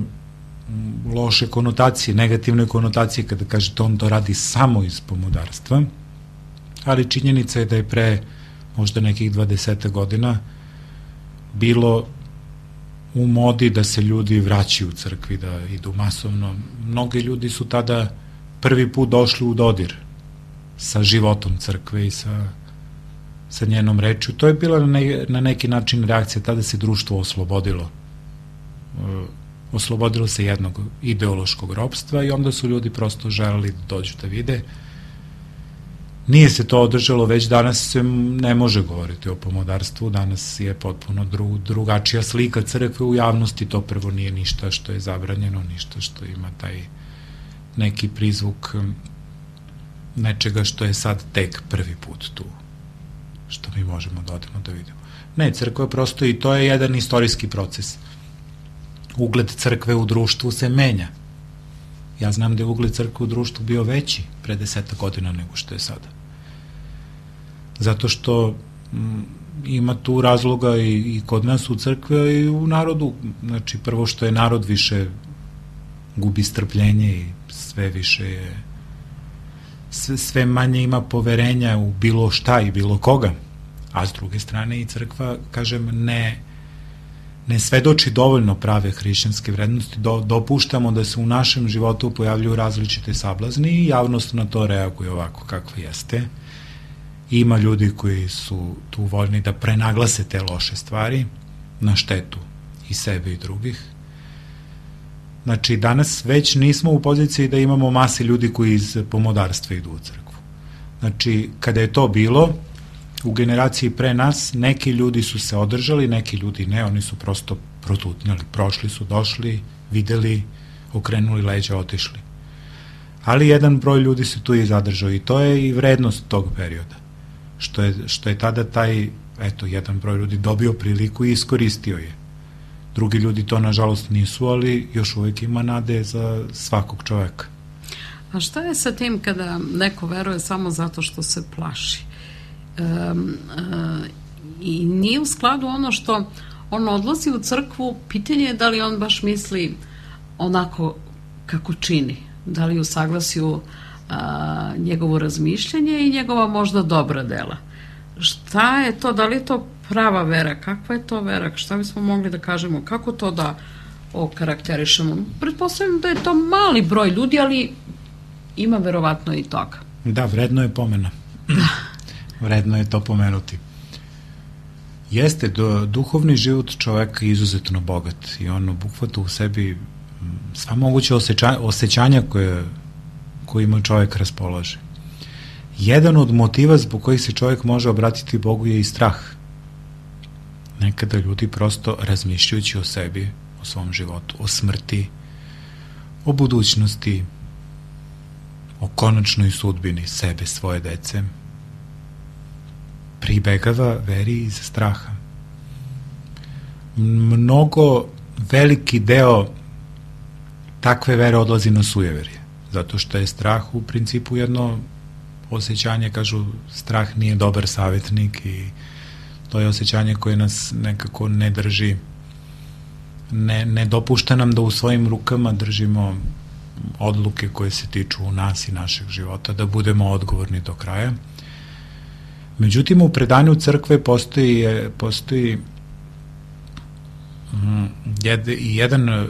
loše konotacije, negativne konotacije kada kažete on to radi samo iz pomodarstva, ali činjenica je da je pre možda nekih dvadeset godina bilo u modi da se ljudi vraćaju u crkvi, da idu masovno. Mnogi ljudi su tada prvi put došli u dodir sa životom crkve i sa, sa njenom rečju. To je bila na, ne, na neki način reakcija, tada se društvo oslobodilo. E, oslobodilo se jednog ideološkog ropstva i onda su ljudi prosto želeli da dođu da vide. Nije se to održalo, već danas se ne može govoriti o pomodarstvu, danas je potpuno dru, drugačija slika crkve u javnosti, to prvo nije ništa što je zabranjeno, ništa što ima taj neki prizvuk nečega što je sad tek prvi put tu, što mi možemo da odemo da vidimo. Ne, crkva prosto, i to je jedan istorijski proces. Ugled crkve u društvu se menja. Ja znam da je ugled crkve u društvu bio veći pre deseta godina nego što je sada. Zato što m, ima tu razloga i, i kod nas u crkve i u narodu. Znači, prvo što je narod više gubi strpljenje i sve više je, sve, sve manje ima poverenja u bilo šta i bilo koga. A s druge strane i crkva, kažem, ne ne svedoči dovoljno prave hrišćanske vrednosti, do, dopuštamo da se u našem životu pojavljuju različite sablazni i javnost na to reaguje ovako kakva jeste. Ima ljudi koji su tu voljni da prenaglase te loše stvari na štetu i sebe i drugih. Znači, danas već nismo u poziciji da imamo mase ljudi koji iz pomodarstva idu u crkvu. Znači, kada je to bilo, u generaciji pre nas, neki ljudi su se održali, neki ljudi ne, oni su prosto protutnjali, prošli su, došli, videli, okrenuli leđa, otišli. Ali jedan broj ljudi se tu i zadržao i to je i vrednost tog perioda, što je, što je tada taj, eto, jedan broj ljudi dobio priliku i iskoristio je. Drugi ljudi to, nažalost, nisu, ali još uvijek ima nade za svakog čoveka. A šta je sa tim kada neko veruje samo zato što se plaši? Um, uh, i nije u skladu ono što on odlazi u crkvu, pitanje je da li on baš misli onako kako čini, da li u saglasju uh, njegovo razmišljanje i njegova možda dobra dela. Šta je to, da li je to prava vera, kakva je to vera, šta bismo mogli da kažemo, kako to da okarakterišemo? Pretpostavljam da je to mali broj ljudi, ali ima verovatno i toga. Da, vredno je pomena. Da. Vredno je to pomenuti. Jeste, do, duhovni život čoveka je izuzetno bogat i on obuhvata u sebi sva moguće osjeća, osjećanja koje, kojima čovek raspolaže. Jedan od motiva zbog kojih se čovek može obratiti Bogu je i strah. Nekada ljudi prosto razmišljajući o sebi, o svom životu, o smrti, o budućnosti, o konačnoj sudbini sebe, svoje dece, pribegava veri iz straha. Mnogo veliki deo takve vere odlazi na sujeverje, zato što je strah u principu jedno osjećanje, kažu, strah nije dobar savjetnik i to je osjećanje koje nas nekako ne drži, ne, ne dopušta nam da u svojim rukama držimo odluke koje se tiču u nas i našeg života, da budemo odgovorni do kraja. Međutim, u predanju crkve postoji, postoji jed, jedan,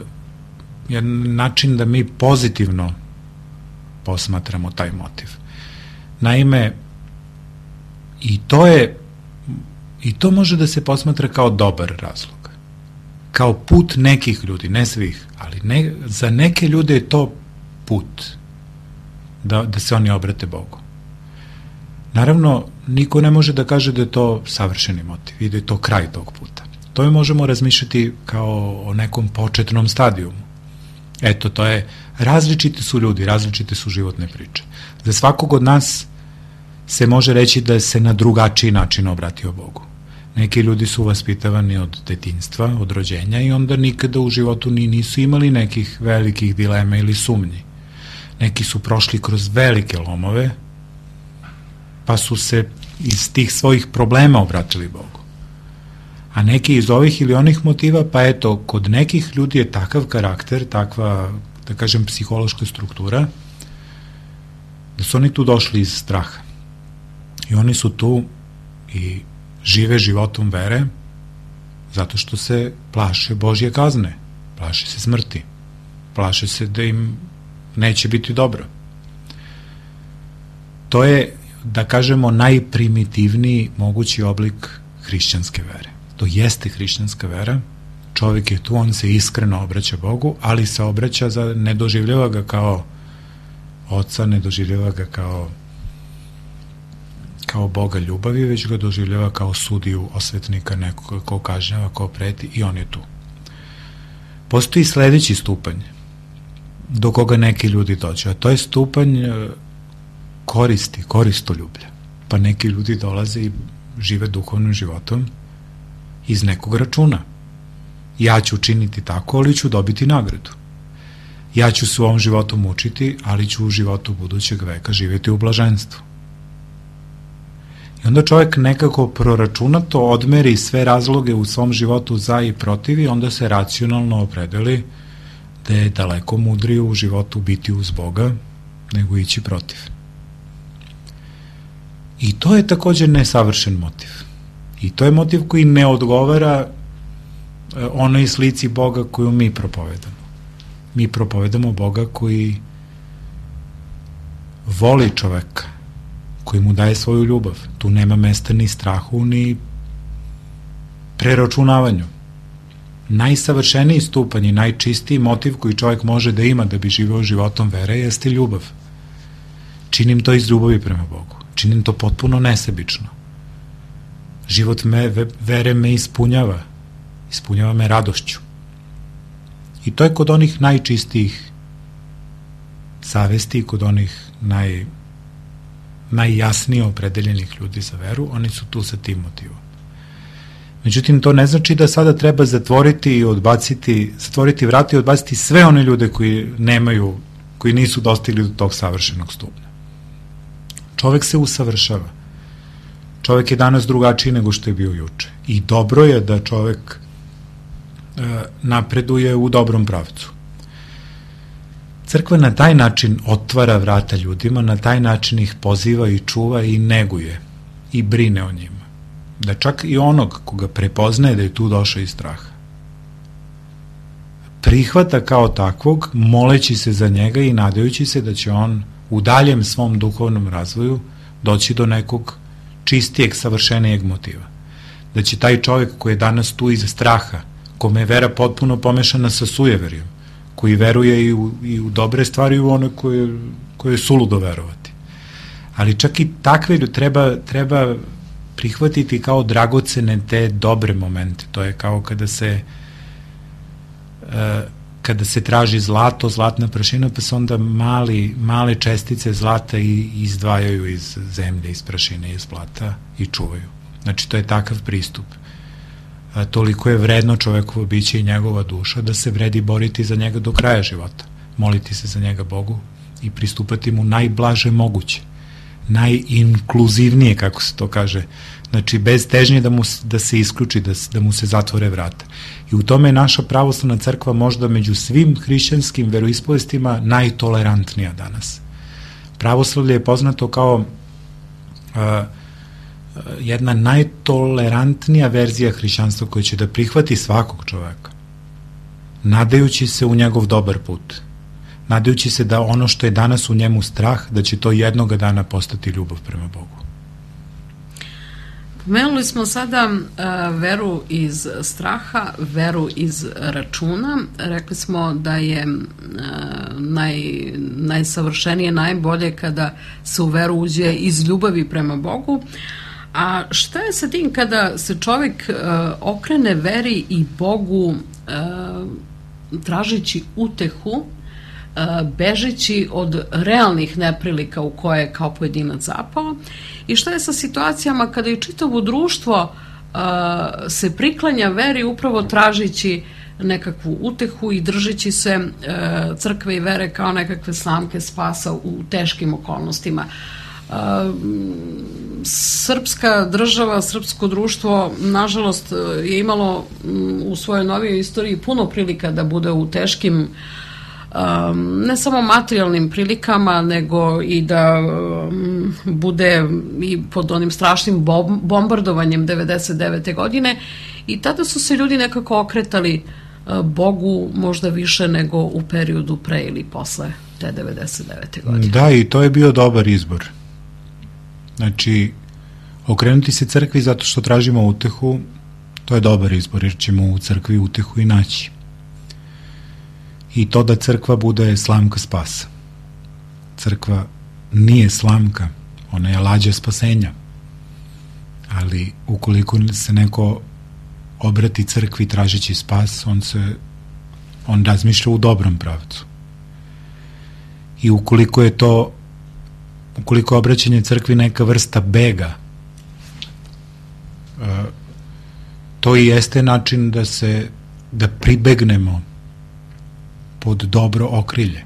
jedan način da mi pozitivno posmatramo taj motiv. Naime, i to je i to može da se posmatra kao dobar razlog, kao put nekih ljudi, ne svih, ali ne, za neke ljude je to put da, da se oni obrate Bogu. Naravno, niko ne može da kaže da je to savršeni motiv i da je to kraj tog puta. To je možemo razmišljati kao o nekom početnom stadijumu. Eto, to je, različiti su ljudi, različite su životne priče. Za svakog od nas se može reći da se na drugačiji način obratio Bogu. Neki ljudi su vaspitavani od detinjstva, od rođenja i onda nikada u životu ni nisu imali nekih velikih dilema ili sumnji. Neki su prošli kroz velike lomove, pa su se iz tih svojih problema obratili Bogu. A neki iz ovih ili onih motiva, pa eto, kod nekih ljudi je takav karakter, takva, da kažem, psihološka struktura, da su oni tu došli iz straha. I oni su tu i žive životom vere zato što se plaše Božje kazne, plaše se smrti, plaše se da im neće biti dobro. to je, da kažemo, najprimitivniji mogući oblik hrišćanske vere. To jeste hrišćanska vera, čovjek je tu, on se iskreno obraća Bogu, ali se obraća, za, ne doživljava ga kao oca, ne doživljava ga kao kao Boga ljubavi, već ga doživljava kao sudiju, osvetnika, nekoga ko kažnjava, ko preti, i on je tu. Postoji sledeći stupanj do koga neki ljudi dođu, a to je stupanj koristi, koristoljublja. Pa neki ljudi dolaze i žive duhovnim životom iz nekog računa. Ja ću učiniti tako, ali ću dobiti nagradu. Ja ću se u ovom životu mučiti, ali ću u životu budućeg veka živjeti u blaženstvu. I onda čovjek nekako proračunato odmeri sve razloge u svom životu za i protiv i onda se racionalno opredeli da je daleko mudrije u životu biti uz Boga nego ići protiv. I to je također nesavršen motiv. I to je motiv koji ne odgovara onoj slici Boga koju mi propovedamo. Mi propovedamo Boga koji voli čoveka, koji mu daje svoju ljubav. Tu nema mesta ni strahu, ni preračunavanju. Najsavršeniji stupanj i najčistiji motiv koji čovjek može da ima da bi živeo životom vere jeste ljubav. Činim to iz ljubavi prema Bogu. Činim to potpuno nesebično. Život me, vere me ispunjava. Ispunjava me radošću. I to je kod onih najčistijih savesti, kod onih naj, najjasnije opredeljenih ljudi za veru, oni su tu sa tim motivom. Međutim, to ne znači da sada treba zatvoriti i odbaciti, zatvoriti vrata i odbaciti sve one ljude koji nemaju, koji nisu dostigli do tog savršenog stupnja. Čovek se usavršava. Čovek je danas drugačiji nego što je bio juče. I dobro je da čovek e, napreduje u dobrom pravcu. Crkva na taj način otvara vrata ljudima, na taj način ih poziva i čuva i neguje i brine o njima. Da čak i onog koga prepoznaje da je tu došao iz straha, prihvata kao takvog, moleći se za njega i nadajući se da će on u daljem svom duhovnom razvoju doći do nekog čistijeg, savršenijeg motiva. Da će taj čovjek koji je danas tu iz straha, kome je vera potpuno pomešana sa sujeverijom, koji veruje i u, i u dobre stvari i u one koje, koje je suludo verovati. Ali čak i takve treba, treba prihvatiti kao dragocene te dobre momente. To je kao kada se kada se traži zlato, zlatna prašina, pa se onda mali, male čestice zlata i izdvajaju iz zemlje, iz prašine, iz zlata i čuvaju. Znači, to je takav pristup. A, toliko je vredno čovekovo biće i njegova duša da se vredi boriti za njega do kraja života. Moliti se za njega Bogu i pristupati mu najblaže moguće. Najinkluzivnije, kako se to kaže. Znači, bez težnje da, mu, da se isključi, da, da mu se zatvore vrata. I u tome je naša pravoslavna crkva možda među svim hrišćanskim veroispovestima najtolerantnija danas. Pravoslavlje je poznato kao a, jedna najtolerantnija verzija hrišćanstva koja će da prihvati svakog čoveka, nadajući se u njegov dobar put, nadajući se da ono što je danas u njemu strah, da će to jednoga dana postati ljubav prema Bogu. Pomenuli smo sada uh, veru iz straha, veru iz računa. Rekli smo da je uh, naj, najsavršenije, najbolje kada se u veru uđe iz ljubavi prema Bogu. A šta je sa tim kada se čovjek uh, okrene veri i Bogu uh, tražeći utehu, bežeći od realnih neprilika u koje je kao pojedinac zapao, i šta je sa situacijama kada i čitavo društvo uh, se priklanja veri upravo tražići nekakvu utehu i držeći se uh, crkve i vere kao nekakve slamke spasa u teškim okolnostima. Uh, srpska država, srpsko društvo nažalost je imalo um, u svojoj novijoj istoriji puno prilika da bude u teškim Um, ne samo materijalnim prilikama, nego i da um, bude i pod onim strašnim bombardovanjem devedeset devete godine, i tada su se ljudi nekako okretali uh, Bogu možda više nego u periodu pre ili posle te devedeset devete godine. Da, i to je bio dobar izbor. Znači, okrenuti se crkvi zato što tražimo utehu, to je dobar izbor, jer ćemo u crkvi utehu i naći. I to da crkva bude slamka spasa. Crkva nije slamka, ona je lađa spasenja. Ali ukoliko se neko obrati crkvi tražeći spas, on se on razmišlja u dobrom pravcu. I ukoliko je to ukoliko je obraćanje crkvi neka vrsta bega, to i jeste način da se da pribegnemo pod dobro okrilje.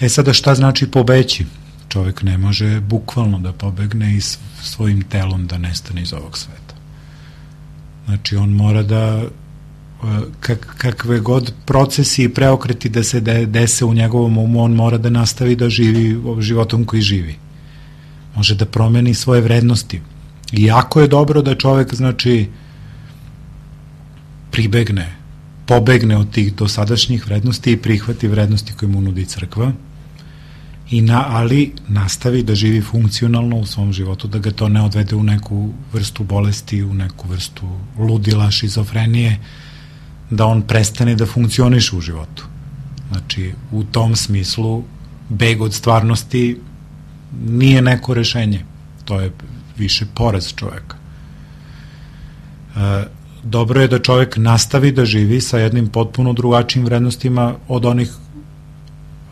E sada, šta znači pobeći? Čovjek ne može bukvalno da pobegne i svojim telom da nestane iz ovog sveta. Znači, on mora da kak, kakve god procesi i preokreti da se de, dese u njegovom umu, on mora da nastavi da živi životom koji živi. Može da promeni svoje vrednosti. I jako je dobro da čovjek, znači, pribegne, pobegne od tih dosadašnjih vrednosti i prihvati vrednosti koje mu nudi crkva, i na, ali nastavi da živi funkcionalno u svom životu, da ga to ne odvede u neku vrstu bolesti, u neku vrstu ludila, šizofrenije, da on prestane da funkcioniše u životu. Znači, u tom smislu, beg od stvarnosti nije neko rešenje. To je više poraz čoveka. E, dobro je da čovek nastavi da živi sa jednim potpuno drugačijim vrednostima od onih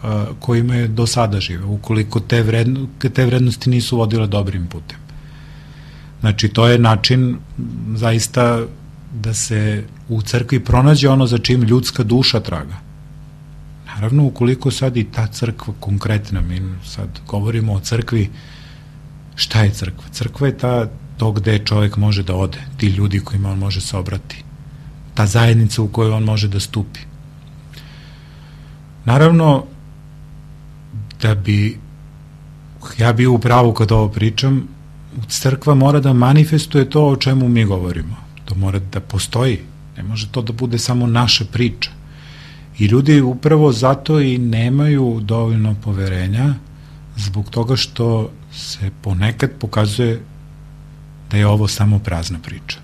a, kojima je do sada žive, ukoliko te, vredno, te vrednosti nisu vodile dobrim putem. Znači, to je način zaista da se u crkvi pronađe ono za čim ljudska duša traga. Naravno, ukoliko sad i ta crkva konkretna, mi sad govorimo o crkvi, šta je crkva? Crkva je ta, to gde čovjek može da ode, ti ljudi kojima on može se obrati, ta zajednica u kojoj on može da stupi. Naravno, da bi ja bio u pravu kad ovo pričam, crkva mora da manifestuje to o čemu mi govorimo. To mora da postoji. Ne može to da bude samo naša priča. I ljudi upravo zato i nemaju dovoljno poverenja, zbog toga što se ponekad pokazuje da je ovo samo prazna priča.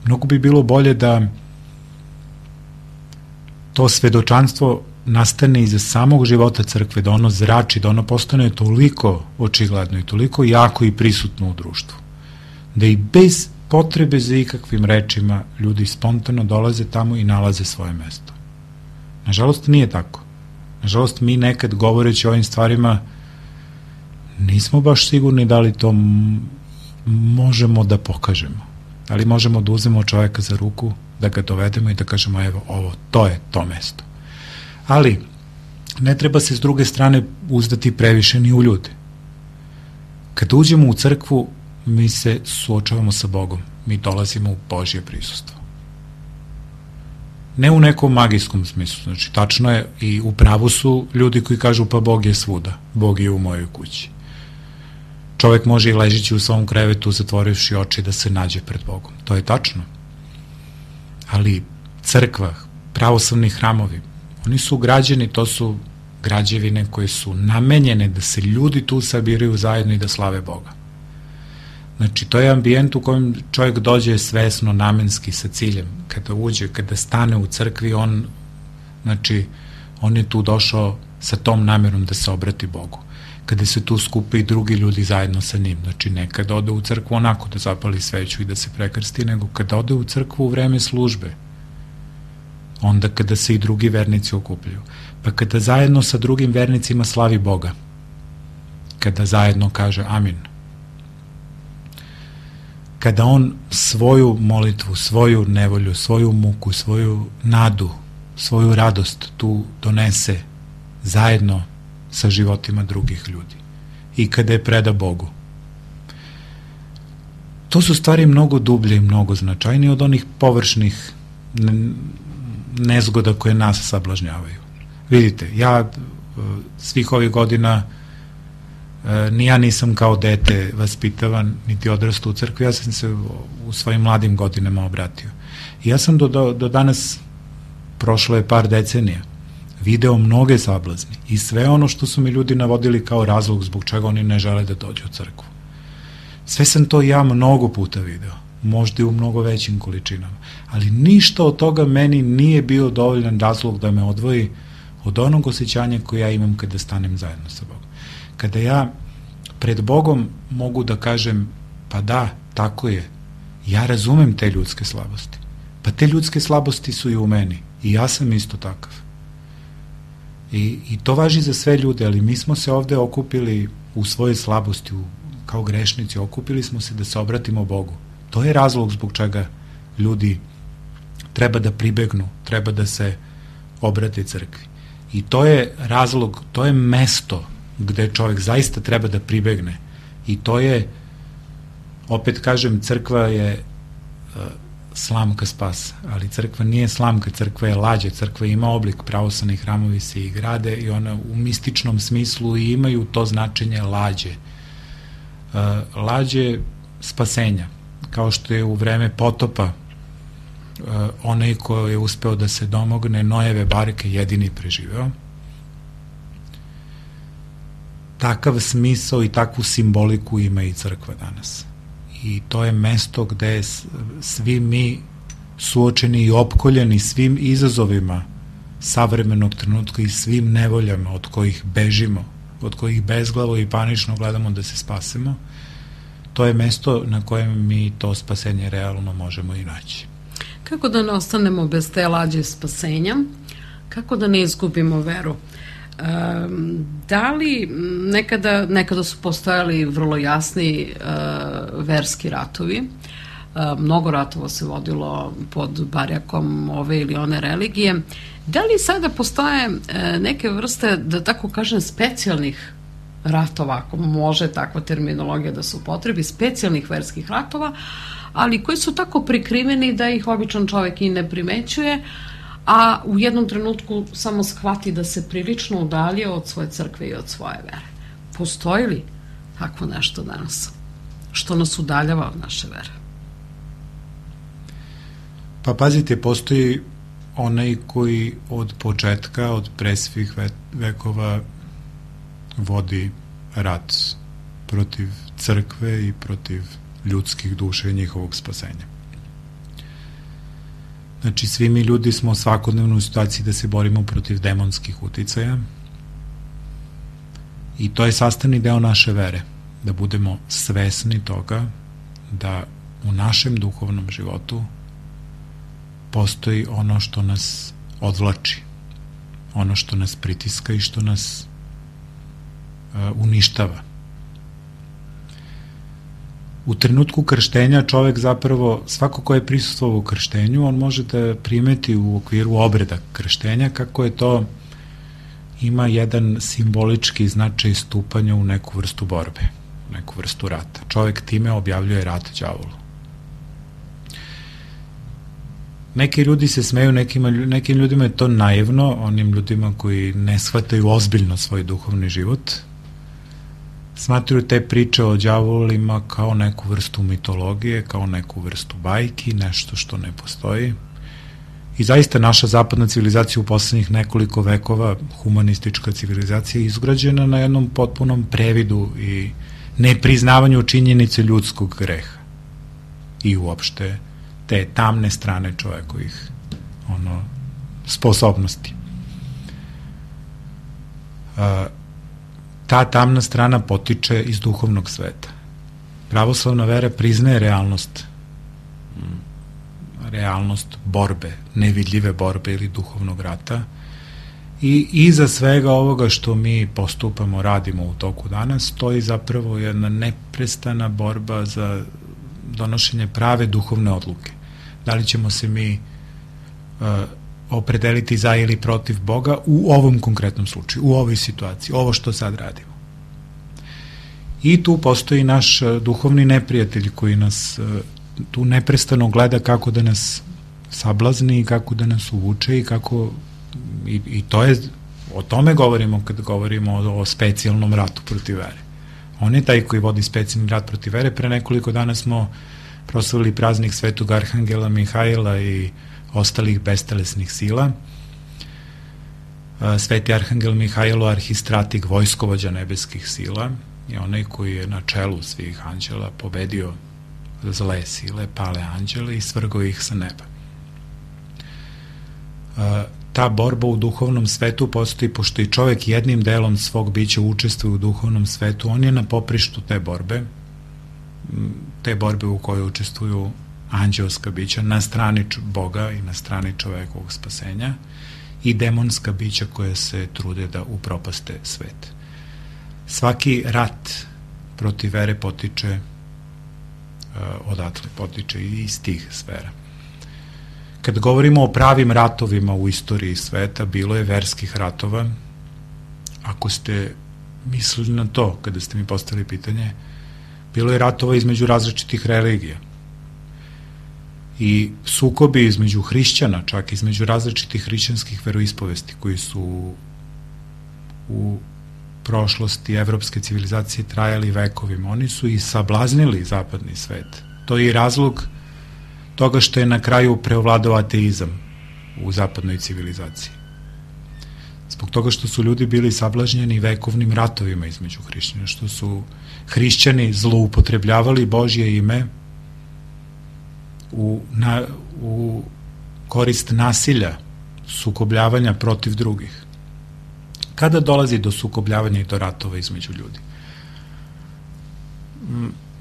Mnogo bi bilo bolje da to svedočanstvo nastane iza samog života crkve, da ono zrači, da ono postane toliko očigledno i toliko jako i prisutno u društvu, da i bez potrebe za ikakvim rečima ljudi spontano dolaze tamo i nalaze svoje mesto. Nažalost, nije tako. Nažalost, mi nekad govoreći o ovim stvarima nismo baš sigurni da li to možemo da pokažemo. Da li možemo da uzmemo čoveka za ruku, da ga dovedemo i da kažemo, evo, ovo, to je to mesto. Ali, ne treba se s druge strane uzdati previše ni u ljude. Kada uđemo u crkvu, mi se suočavamo sa Bogom. Mi dolazimo u Božje prisustvo. Ne u nekom magijskom smislu. Znači, tačno je i u pravu su ljudi koji kažu, pa Bog je svuda. Bog je u mojoj kući. Čovek može i ležeći u svom krevetu, zatvorivši oči, da se nađe pred Bogom. To je tačno. Ali crkva, pravoslavni hramovi, oni su građeni, to su građevine koje su namenjene da se ljudi tu sabiraju zajedno i da slave Boga. Znači, to je ambijent u kojem čovjek dođe svesno, namenski, sa ciljem. Kada uđe, kada stane u crkvi, on, znači, on je tu došao sa tom namerom da se obrati Bogu. Kada se tu skupe i drugi ljudi zajedno sa njim. Znači, ne kada ode u crkvu onako da zapali sveću i da se prekrsti, nego kada ode u crkvu u vreme službe. Onda kada se i drugi vernici okupljaju. Pa kada zajedno sa drugim vernicima slavi Boga. Kada zajedno kaže amin. Kada on svoju molitvu, svoju nevolju, svoju muku, svoju nadu, svoju radost tu donese zajedno sa životima drugih ljudi. I kada je preda Bogu. To su stvari mnogo dublje i mnogo značajnije od onih površnih nezgoda koje nas sablažnjavaju. Vidite, ja svih ovih godina ni ja nisam kao dete vaspitavan, niti odrastao u crkvi, ja sam se u svojim mladim godinama obratio. I ja sam do, do, do danas, prošlo je par decenija, video mnoge sablazni i sve ono što su mi ljudi navodili kao razlog zbog čega oni ne žele da dođu u crkvu. Sve sam to ja mnogo puta video, možda i u mnogo većim količinama, ali ništa od toga meni nije bio dovoljan razlog da me odvoji od onog osjećanja koje ja imam kada stanem zajedno sa Bogom. Kada ja pred Bogom mogu da kažem, pa da, tako je, ja razumem te ljudske slabosti. Pa te ljudske slabosti su i u meni i ja sam isto takav. I, i to važi za sve ljude, ali mi smo se ovde okupili u svojoj slabosti, u, kao grešnici, okupili smo se da se obratimo Bogu. To je razlog zbog čega ljudi treba da pribegnu, treba da se obrate crkvi. I to je razlog, to je mesto gde čovjek zaista treba da pribegne. I to je, opet kažem, crkva je uh, slamka spasa, ali crkva nije slamka, crkva je lađa, crkva ima oblik, pravoslavni hramovi se i grade i ona u mističnom smislu i imaju to značenje lađe. Uh, lađe spasenja, kao što je u vreme potopa uh, onaj ko je uspeo da se domogne Nojeve barke jedini preživeo. Takav smisao i takvu simboliku ima i crkva danas. I to je mesto gde svi mi suočeni i opkoljeni svim izazovima savremenog trenutka i svim nevoljama od kojih bežimo, od kojih bezglavo i panično gledamo da se spasemo, to je mesto na kojem mi to spasenje realno možemo i naći. Kako da ne ostanemo bez te lađe spasenja? Kako da ne izgubimo veru? Um, da li nekada, nekada su postojali vrlo jasni uh, verski ratovi, uh, mnogo ratova se vodilo pod barjakom ove ili one religije, da li sada postoje uh, neke vrste, da tako kažem, specijalnih ratova, ako može takva terminologija da se upotrebi, specijalnih verskih ratova, ali koji su tako prikriveni da ih običan čovek i ne primećuje, a u jednom trenutku samo shvati da se prilično udalje od svoje crkve i od svoje vere. Postoji li takvo nešto danas što nas udaljava od naše vere? Pa pazite, postoji onaj koji od početka, od pre svih vekova vodi rat protiv crkve i protiv ljudskih duša i njihovog spasenja. Znači, svi mi ljudi smo svakodnevno u situaciji da se borimo protiv demonskih uticaja i to je sastavni deo naše vere, da budemo svesni toga da u našem duhovnom životu postoji ono što nas odvlači, ono što nas pritiska i što nas uh, uništava. U trenutku krštenja čovek zapravo, svako ko je prisustvovao u krštenju, on može da primeti u okviru obreda krštenja kako je to ima jedan simbolički značaj stupanja u neku vrstu borbe, neku vrstu rata. Čovek time objavljuje rat đavolu. Neki ljudi se smeju, nekima, nekim ljudima je to naivno, onim ljudima koji ne shvataju ozbiljno svoj duhovni život, smatruju te priče o đavolima kao neku vrstu mitologije, kao neku vrstu bajki, nešto što ne postoji. I zaista naša zapadna civilizacija u poslednjih nekoliko vekova, humanistička civilizacija, je izgrađena na jednom potpunom previdu i nepriznavanju činjenice ljudskog greha i uopšte te tamne strane čovekovih ono, sposobnosti. A, ta tamna strana potiče iz duhovnog sveta. Pravoslavna vera priznaje realnost, realnost borbe, nevidljive borbe ili duhovnog rata i iza svega ovoga što mi postupamo, radimo u toku dana, stoji zapravo jedna neprestana borba za donošenje prave duhovne odluke. Da li ćemo se mi uh, opredeliti za ili protiv Boga u ovom konkretnom slučaju, u ovoj situaciji, ovo što sad radimo. I tu postoji naš duhovni neprijatelj koji nas tu neprestano gleda kako da nas sablazni i kako da nas uvuče i kako i, i to je, o tome govorimo kad govorimo o, o specijalnom ratu protiv vere. On je taj koji vodi specijalni rat protiv vere. Pre nekoliko dana smo proslavili praznik Svetog Arhangela Mihajla i ostalih bestelesnih sila. Sveti arhangel Mihajlo, arhistratik, vojskovođa nebeskih sila, je onaj koji je na čelu svih anđela pobedio zle sile, pale anđele i svrgao ih sa neba. Ta borba u duhovnom svetu postoji, pošto i čovek jednim delom svog bića učestvuje u duhovnom svetu, on je na poprištu te borbe, te borbe u kojoj učestvuju anđelska bića na strani Boga i na strani čovekovog spasenja i demonska bića koja se trude da upropaste svet. Svaki rat protiv vere potiče odatle, potiče i iz tih sfera. Kad govorimo o pravim ratovima u istoriji sveta, bilo je verskih ratova. Ako ste mislili na to, kada ste mi postavili pitanje, bilo je ratova između različitih religija. I sukobi između hrišćana, čak između različitih hrišćanskih veroispovesti koji su u prošlosti evropske civilizacije trajali vekovima. Oni su i sablaznili zapadni svet. To je i razlog toga što je na kraju preovladao ateizam u zapadnoj civilizaciji. Zbog toga što su ljudi bili sablažnjeni vekovnim ratovima između hrišćana, što su hrišćani zloupotrebljavali Božje ime u, na, u korist nasilja, sukobljavanja protiv drugih. Kada dolazi do sukobljavanja i do ratova između ljudi?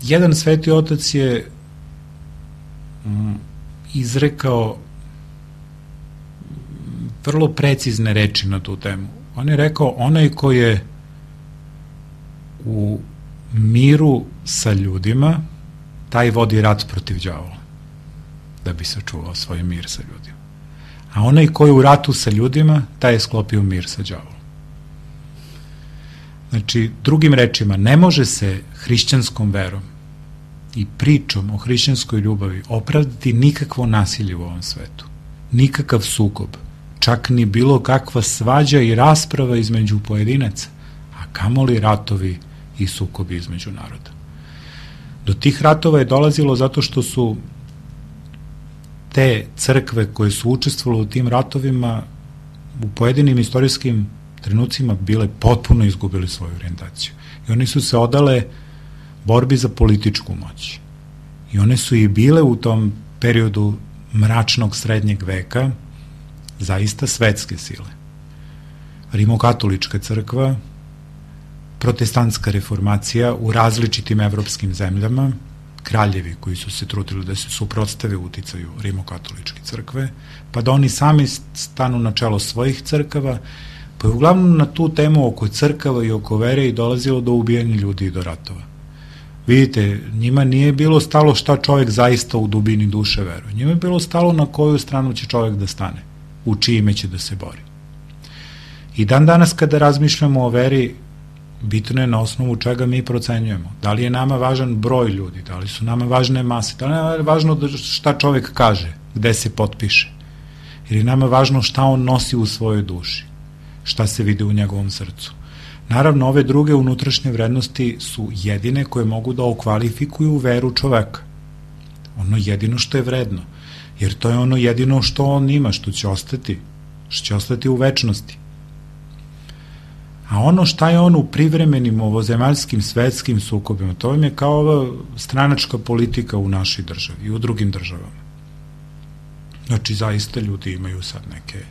Jedan sveti otac je izrekao vrlo precizne reči na tu temu. On je rekao, onaj ko je u miru sa ljudima, taj vodi rat protiv đavola, da bi sačuvao svoj mir sa ljudima. A onaj ko je u ratu sa ljudima, taj je sklopio mir sa đavolom. Znači, drugim rečima, ne može se hrišćanskom verom i pričom o hrišćanskoj ljubavi opravdati nikakvo nasilje u ovom svetu, nikakav sukob, čak ni bilo kakva svađa i rasprava između pojedinaca, a kamoli ratovi i sukobi između naroda. Do tih ratova je dolazilo zato što su te crkve koje su učestvovale u tim ratovima u pojedinim istorijskim trenucima bile potpuno izgubili svoju orijentaciju. I oni su se odale borbi za političku moć. I one su i bile u tom periodu mračnog srednjeg veka zaista svetske sile. Rimokatolička crkva, protestantska reformacija u različitim evropskim zemljama, kraljevi koji su se trudili da se suprotstave uticaju rimokatoličke crkve, pa da oni sami stanu na čelo svojih crkava, pa je uglavnom na tu temu oko crkava i oko vere i dolazilo do ubijanja ljudi i do ratova. Vidite, njima nije bilo stalo šta čovjek zaista u dubini duše veruje. Njima je bilo stalo na koju stranu će čovjek da stane, u čime će da se bori. I dan danas kada razmišljamo o veri, bitno je na osnovu čega mi procenjujemo. Da li je nama važan broj ljudi, da li su nama važne mase, da li je važno šta čovjek kaže, gde se potpiše. Jer je nama važno šta on nosi u svojoj duši, šta se vidi u njegovom srcu. Naravno, ove druge unutrašnje vrednosti su jedine koje mogu da okvalifikuju veru čoveka. Ono jedino što je vredno, jer to je ono jedino što on ima, što će ostati, što će ostati u večnosti. A ono šta je on u privremenim ovozemaljskim svetskim sukobima, to vam je kao ova stranačka politika u našoj državi i u drugim državama. Znači, zaista ljudi imaju sad neke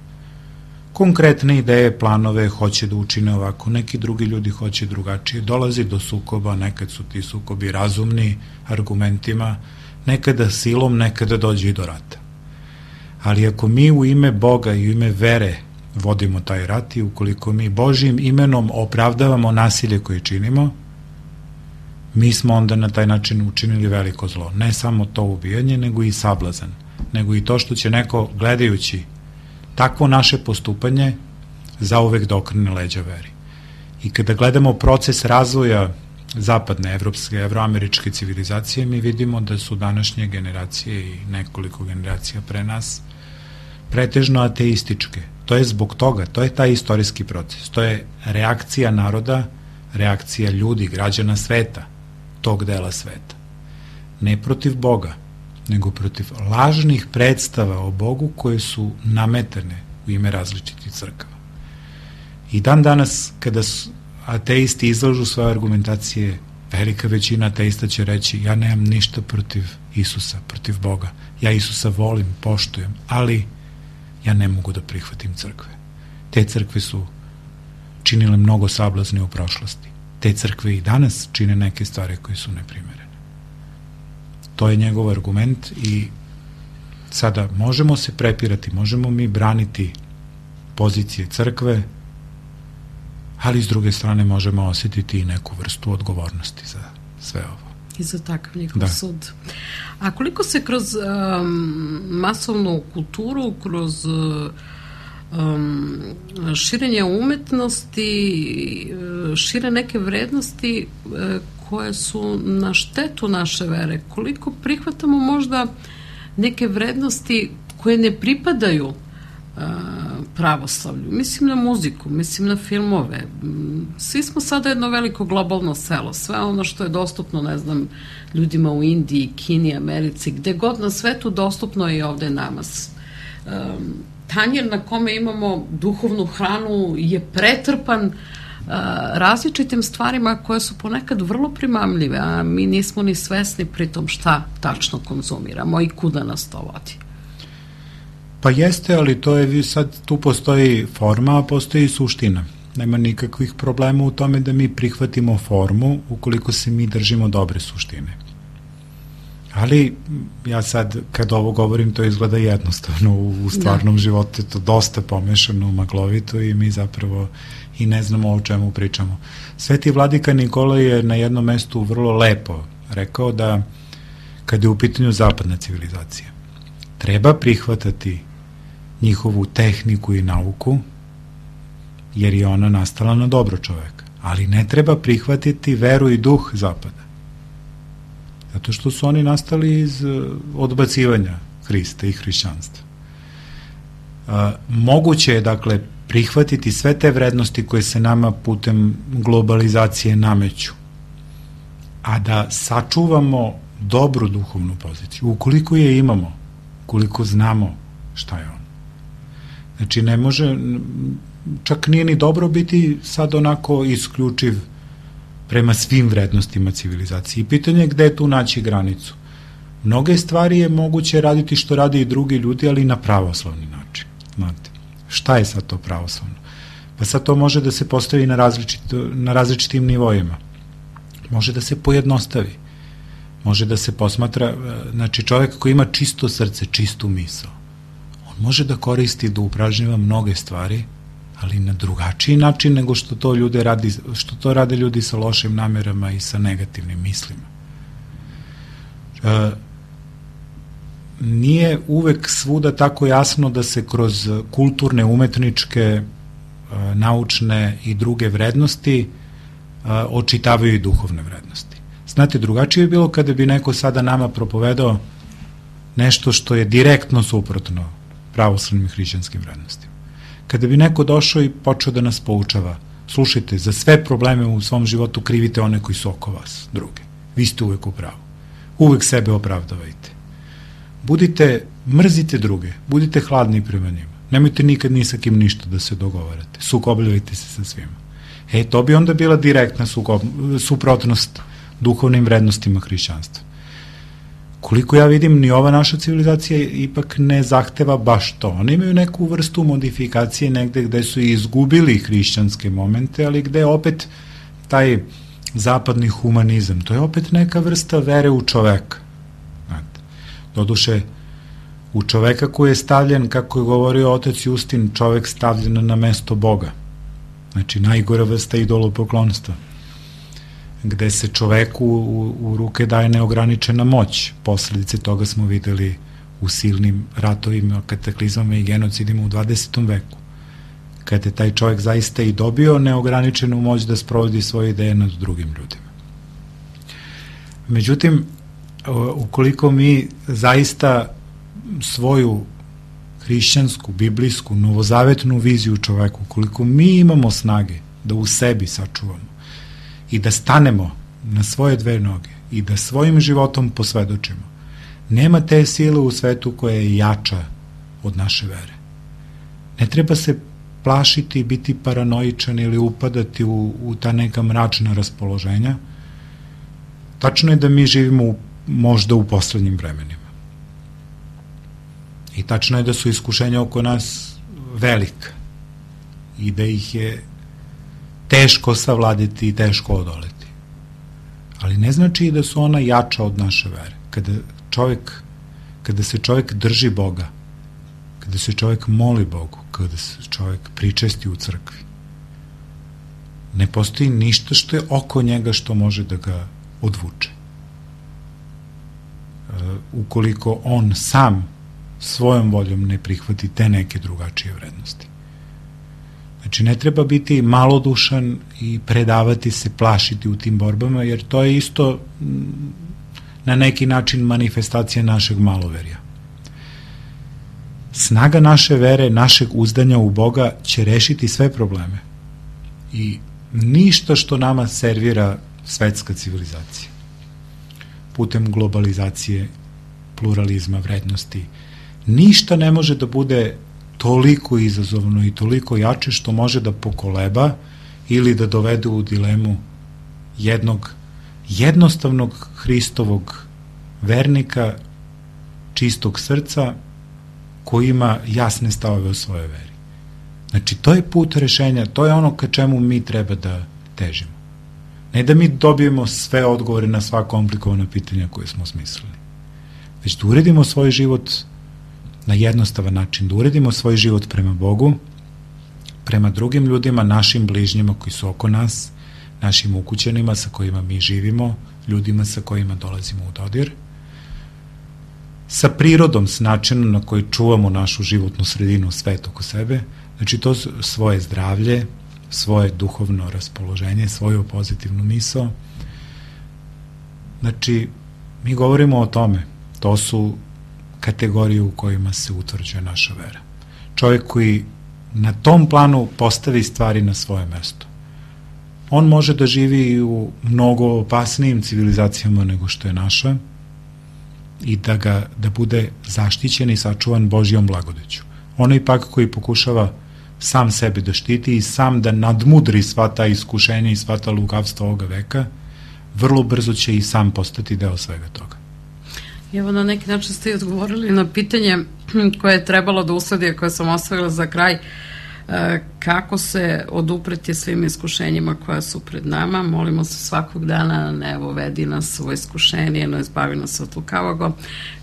konkretne ideje, planove, hoće da učine ovako, neki drugi ljudi hoće drugačije, dolazi do sukoba, nekad su ti sukobi razumni argumentima, nekada silom, nekada dođe i do rata. Ali ako mi u ime Boga i u ime vere vodimo taj rat i ukoliko mi Božjim imenom opravdavamo nasilje koje činimo, mi smo onda na taj način učinili veliko zlo. Ne samo to ubijanje, nego i sablazan, nego i to što će neko gledajući takvo naše postupanje zauvek da okrene leđa veri. I kada gledamo proces razvoja zapadne, evropske, evroameričke civilizacije, mi vidimo da su današnje generacije i nekoliko generacija pre nas pretežno ateističke. To je zbog toga, to je taj istorijski proces, to je reakcija naroda, reakcija ljudi, građana sveta, tog dela sveta. Ne protiv Boga, nego protiv lažnih predstava o Bogu koje su nametane u ime različitih crkava. I dan danas, kada ateisti izlažu svoje argumentacije, velika većina ateista će reći, ja nemam ništa protiv Isusa, protiv Boga. Ja Isusa volim, poštujem, ali ja ne mogu da prihvatim crkve. Te crkve su činile mnogo sablazni u prošlosti. Te crkve i danas čine neke stvari koje su neprimerene. To je njegov argument i sada možemo se prepirati, možemo mi braniti pozicije crkve, ali s druge strane možemo osjetiti i neku vrstu odgovornosti za sve ovo. I za takav njihov da. sud. A koliko se kroz um, masovnu kulturu, kroz um, širenje umetnosti, šire neke vrednosti uh, koje su na štetu naše vere, koliko prihvatamo možda neke vrednosti koje ne pripadaju pravoslavlju. Mislim na muziku, mislim na filmove. Svi smo sada jedno veliko globalno selo. Sve ono što je dostupno, ne znam, ljudima u Indiji, Kini, Americi, gde god na svetu dostupno je i ovde nama. Tanjir na kome imamo duhovnu hranu je pretrpan različitim stvarima koje su ponekad vrlo primamljive, a mi nismo ni svesni pritom šta tačno konzumiramo i kuda nas to vodi. Pa jeste, ali to je sad, tu postoji forma, a postoji i suština. Nema nikakvih problema u tome da mi prihvatimo formu ukoliko se mi držimo dobre suštine. Ali ja sad, kad ovo govorim, to izgleda jednostavno, u stvarnom da. životu je to dosta pomešano, maglovito i mi zapravo i ne znamo o čemu pričamo. Sveti vladika Nikola je na jednom mestu vrlo lepo rekao da kad je u pitanju zapadna civilizacija, treba prihvatati njihovu tehniku i nauku, jer je ona nastala na dobro čoveka. Ali ne treba prihvatiti veru i duh zapada. Zato što su oni nastali iz odbacivanja Hrista i hrišćanstva. Moguće je, dakle, prihvatiti sve te vrednosti koje se nama putem globalizacije nameću, a da sačuvamo dobru duhovnu poziciju, ukoliko je imamo, ukoliko znamo šta je on. Znači, ne može, čak nije ni dobro biti sad onako isključiv prema svim vrednostima civilizacije. I pitanje je gde je tu naći granicu. Mnoge stvari je moguće raditi što radi i drugi ljudi, ali na pravoslavni način. Znate, šta je sad to pravoslavno? Pa sad to može da se postavi na, različit, na različitim nivoima. Može da se pojednostavi. Može da se posmatra, znači čovjek koji ima čisto srce, čistu misao, on može da koristi, da upražnjava mnoge stvari, ali na drugačiji način nego što to ljude radi, što to rade ljudi sa lošim namerama i sa negativnim mislima. E, nije uvek svuda tako jasno da se kroz kulturne, umetničke, e, naučne i druge vrednosti e, očitavaju i duhovne vrednosti. Znate, drugačije je bilo kada bi neko sada nama propovedao nešto što je direktno suprotno pravoslavnim hrišćanskim vrednostima. Kada bi neko došao i počeo da nas poučava, slušajte, za sve probleme u svom životu krivite one koji su oko vas, druge. Vi ste uvek u pravu. Uvek sebe opravdavajte. Budite, mrzite druge, budite hladni prema njima. Nemojte nikad ni sa kim ništa da se dogovarate. Sukobljavajte se sa svima. E, to bi onda bila direktna sukob, suprotnost duhovnim vrednostima hrišćanstva. Koliko ja vidim, ni ova naša civilizacija ipak ne zahteva baš to. Oni imaju neku vrstu modifikacije negde gde su izgubili hrišćanske momente, ali gde opet taj zapadni humanizam, to je opet neka vrsta vere u čoveka. Doduše, u čoveka koji je stavljen, kako je govorio otac Justin, čovek stavljen na mesto Boga. Znači, najgora vrsta idolopoklonstva, gde se čoveku u, u ruke daje neograničena moć. Posledice toga smo videli u silnim ratovima, kataklizmama i genocidima u dvadesetom veku, kada je taj čovek zaista i dobio neograničenu moć da sprovodi svoje ideje nad drugim ljudima. Međutim, ukoliko mi zaista svoju hrišćansku, biblijsku, novozavetnu viziju čoveku, ukoliko mi imamo snage da u sebi sačuvamo i da stanemo na svoje dve noge i da svojim životom posvedočimo, nema te sile u svetu koja je jača od naše vere. Ne treba se plašiti, biti paranoičan ili upadati u, u ta neka mračna raspoloženja. Tačno je da mi živimo u, možda u poslednjim vremenima. I tačno je da su iskušenja oko nas velika i da ih je teško savladiti i teško odoleti. Ali ne znači i da su ona jača od naše vere. Kada čovjek, kada se čovjek drži Boga, kada se čovjek moli Bogu, kada se čovjek pričesti u crkvi, ne postoji ništa što je oko njega što može da ga odvuče. Ukoliko on sam svojom voljom ne prihvati te neke drugačije vrednosti. Znači, ne treba biti malodušan i predavati se, plašiti u tim borbama, jer to je isto na neki način manifestacija našeg maloverja. Snaga naše vere, našeg uzdanja u Boga će rešiti sve probleme. I ništa što nama servira svetska civilizacija. Putem globalizacije, pluralizma, vrednosti, ništa ne može da bude toliko izazovno i toliko jače što može da pokoleba ili da dovede u dilemu jednog jednostavnog Hristovog vernika, čistog srca, koji ima jasne stavove o svojoj veri. Znači, to je put rešenja, to je ono ka čemu mi treba da težimo. Ne da mi dobijemo sve odgovore na sva komplikovana pitanja koje smo smislili, već da uredimo svoj život na jednostavan način, da uredimo svoj život prema Bogu, prema drugim ljudima, našim bližnjima koji su oko nas, našim ukućanima sa kojima mi živimo, ljudima sa kojima dolazimo u dodir, sa prirodom, s načinom na koji čuvamo našu životnu sredinu, svet oko sebe, znači to svoje zdravlje, svoje duhovno raspoloženje, svoju pozitivnu misao. Znači, mi govorimo o tome, to su kategorije u kojima se utvrđuje naša vera. Čovjek koji na tom planu postavi stvari na svoje mesto. On može da živi u mnogo opasnijim civilizacijama nego što je naša i da ga da bude zaštićen i sačuvan Božjom blagodeću. Onaj pak koji pokušava sam sebe da štiti i sam da nadmudri sva ta iskušenja i sva ta lukavstva ovoga veka, vrlo brzo će i sam postati deo svega toga. Evo, na neki način ste i odgovorili na pitanje koje je trebalo da usledi, koje sam ostavila za kraj, kako se odupreti svim iskušenjima koja su pred nama. Molimo se svakog dana, ne evo, vedi nas u iskušenje, no izbavi nas od lukavoga,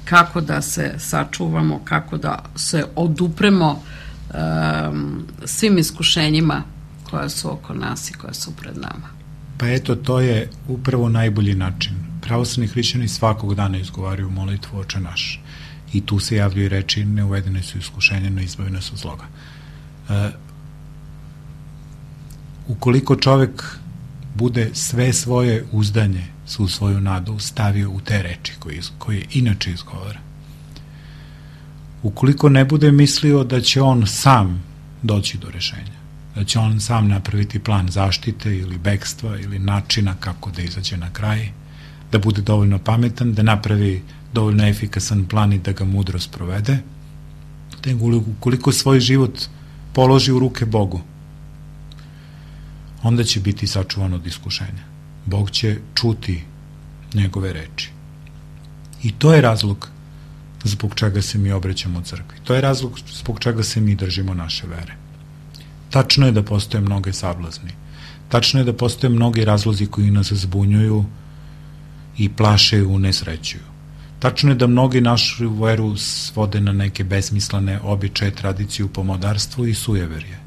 kako da se sačuvamo, kako da se odupremo um, svim iskušenjima koja su oko nas i koja su pred nama. Pa eto, to je upravo najbolji način. Pravoslavni hrišćani svakog dana izgovaraju molitvu Oče naš. I tu se javljaju reči, ne uvedene su iskušenja, no izbavi nas od zloga. Uh, ukoliko čovek bude sve svoje uzdanje, svu svoju nadu stavio u te reči koje, koje inače izgovara, ukoliko ne bude mislio da će on sam doći do rešenja, da će on sam napraviti plan zaštite ili bekstva ili načina kako da izađe na kraj, da bude dovoljno pametan, da napravi dovoljno efikasan plan i da ga mudro sprovede, da ukoliko svoj život položi u ruke Bogu, onda će biti sačuvan od iskušenja. Bog će čuti njegove reči. I to je razlog zbog čega se mi obraćamo crkvi. To je razlog zbog čega se mi držimo naše vere. Tačno je da postoje mnoge sablazni. Tačno je da postoje mnogi razlozi koji nas zbunjuju i plaše i unesrećuju. Tačno je da mnogi našu veru svode na neke besmislene običaje, tradiciju, pomodarstvo i sujeverje.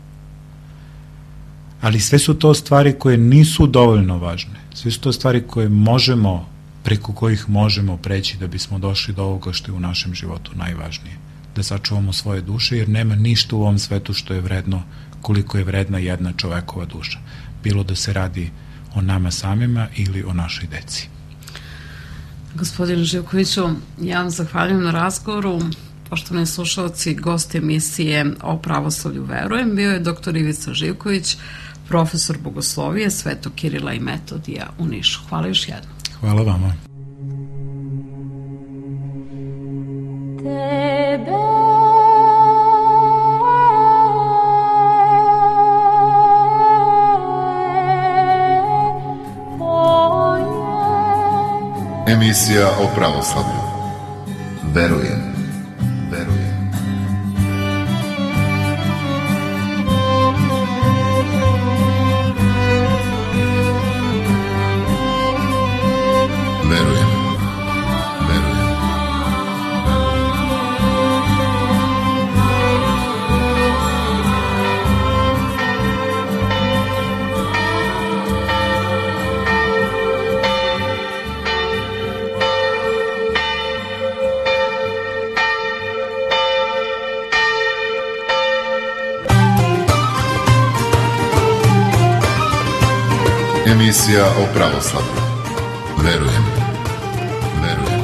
Ali sve su to stvari koje nisu dovoljno važne. Sve su to stvari koje možemo, preko kojih možemo preći da bismo došli do ovoga što je u našem životu najvažnije. Da sačuvamo svoje duše, jer nema ništa u ovom svetu što je vredno koliko je vredna jedna čovekova duša. Bilo da se radi o nama samima ili o našoj deci. Gospodine Živkoviću, ja vam zahvaljujem na razgovoru. Poštovani slušalci, gost emisije o pravoslavlju verujem bio je doktor Ivica Živković, profesor bogoslovije Svetog Kirila i Metodija u Nišu. Hvala još jednom. Hvala vama. Tebe Emisija o pravoslavlju. Verujem, verujem. Verujem, verujem. Emisija o pravoslavlju. Verujem, verujem.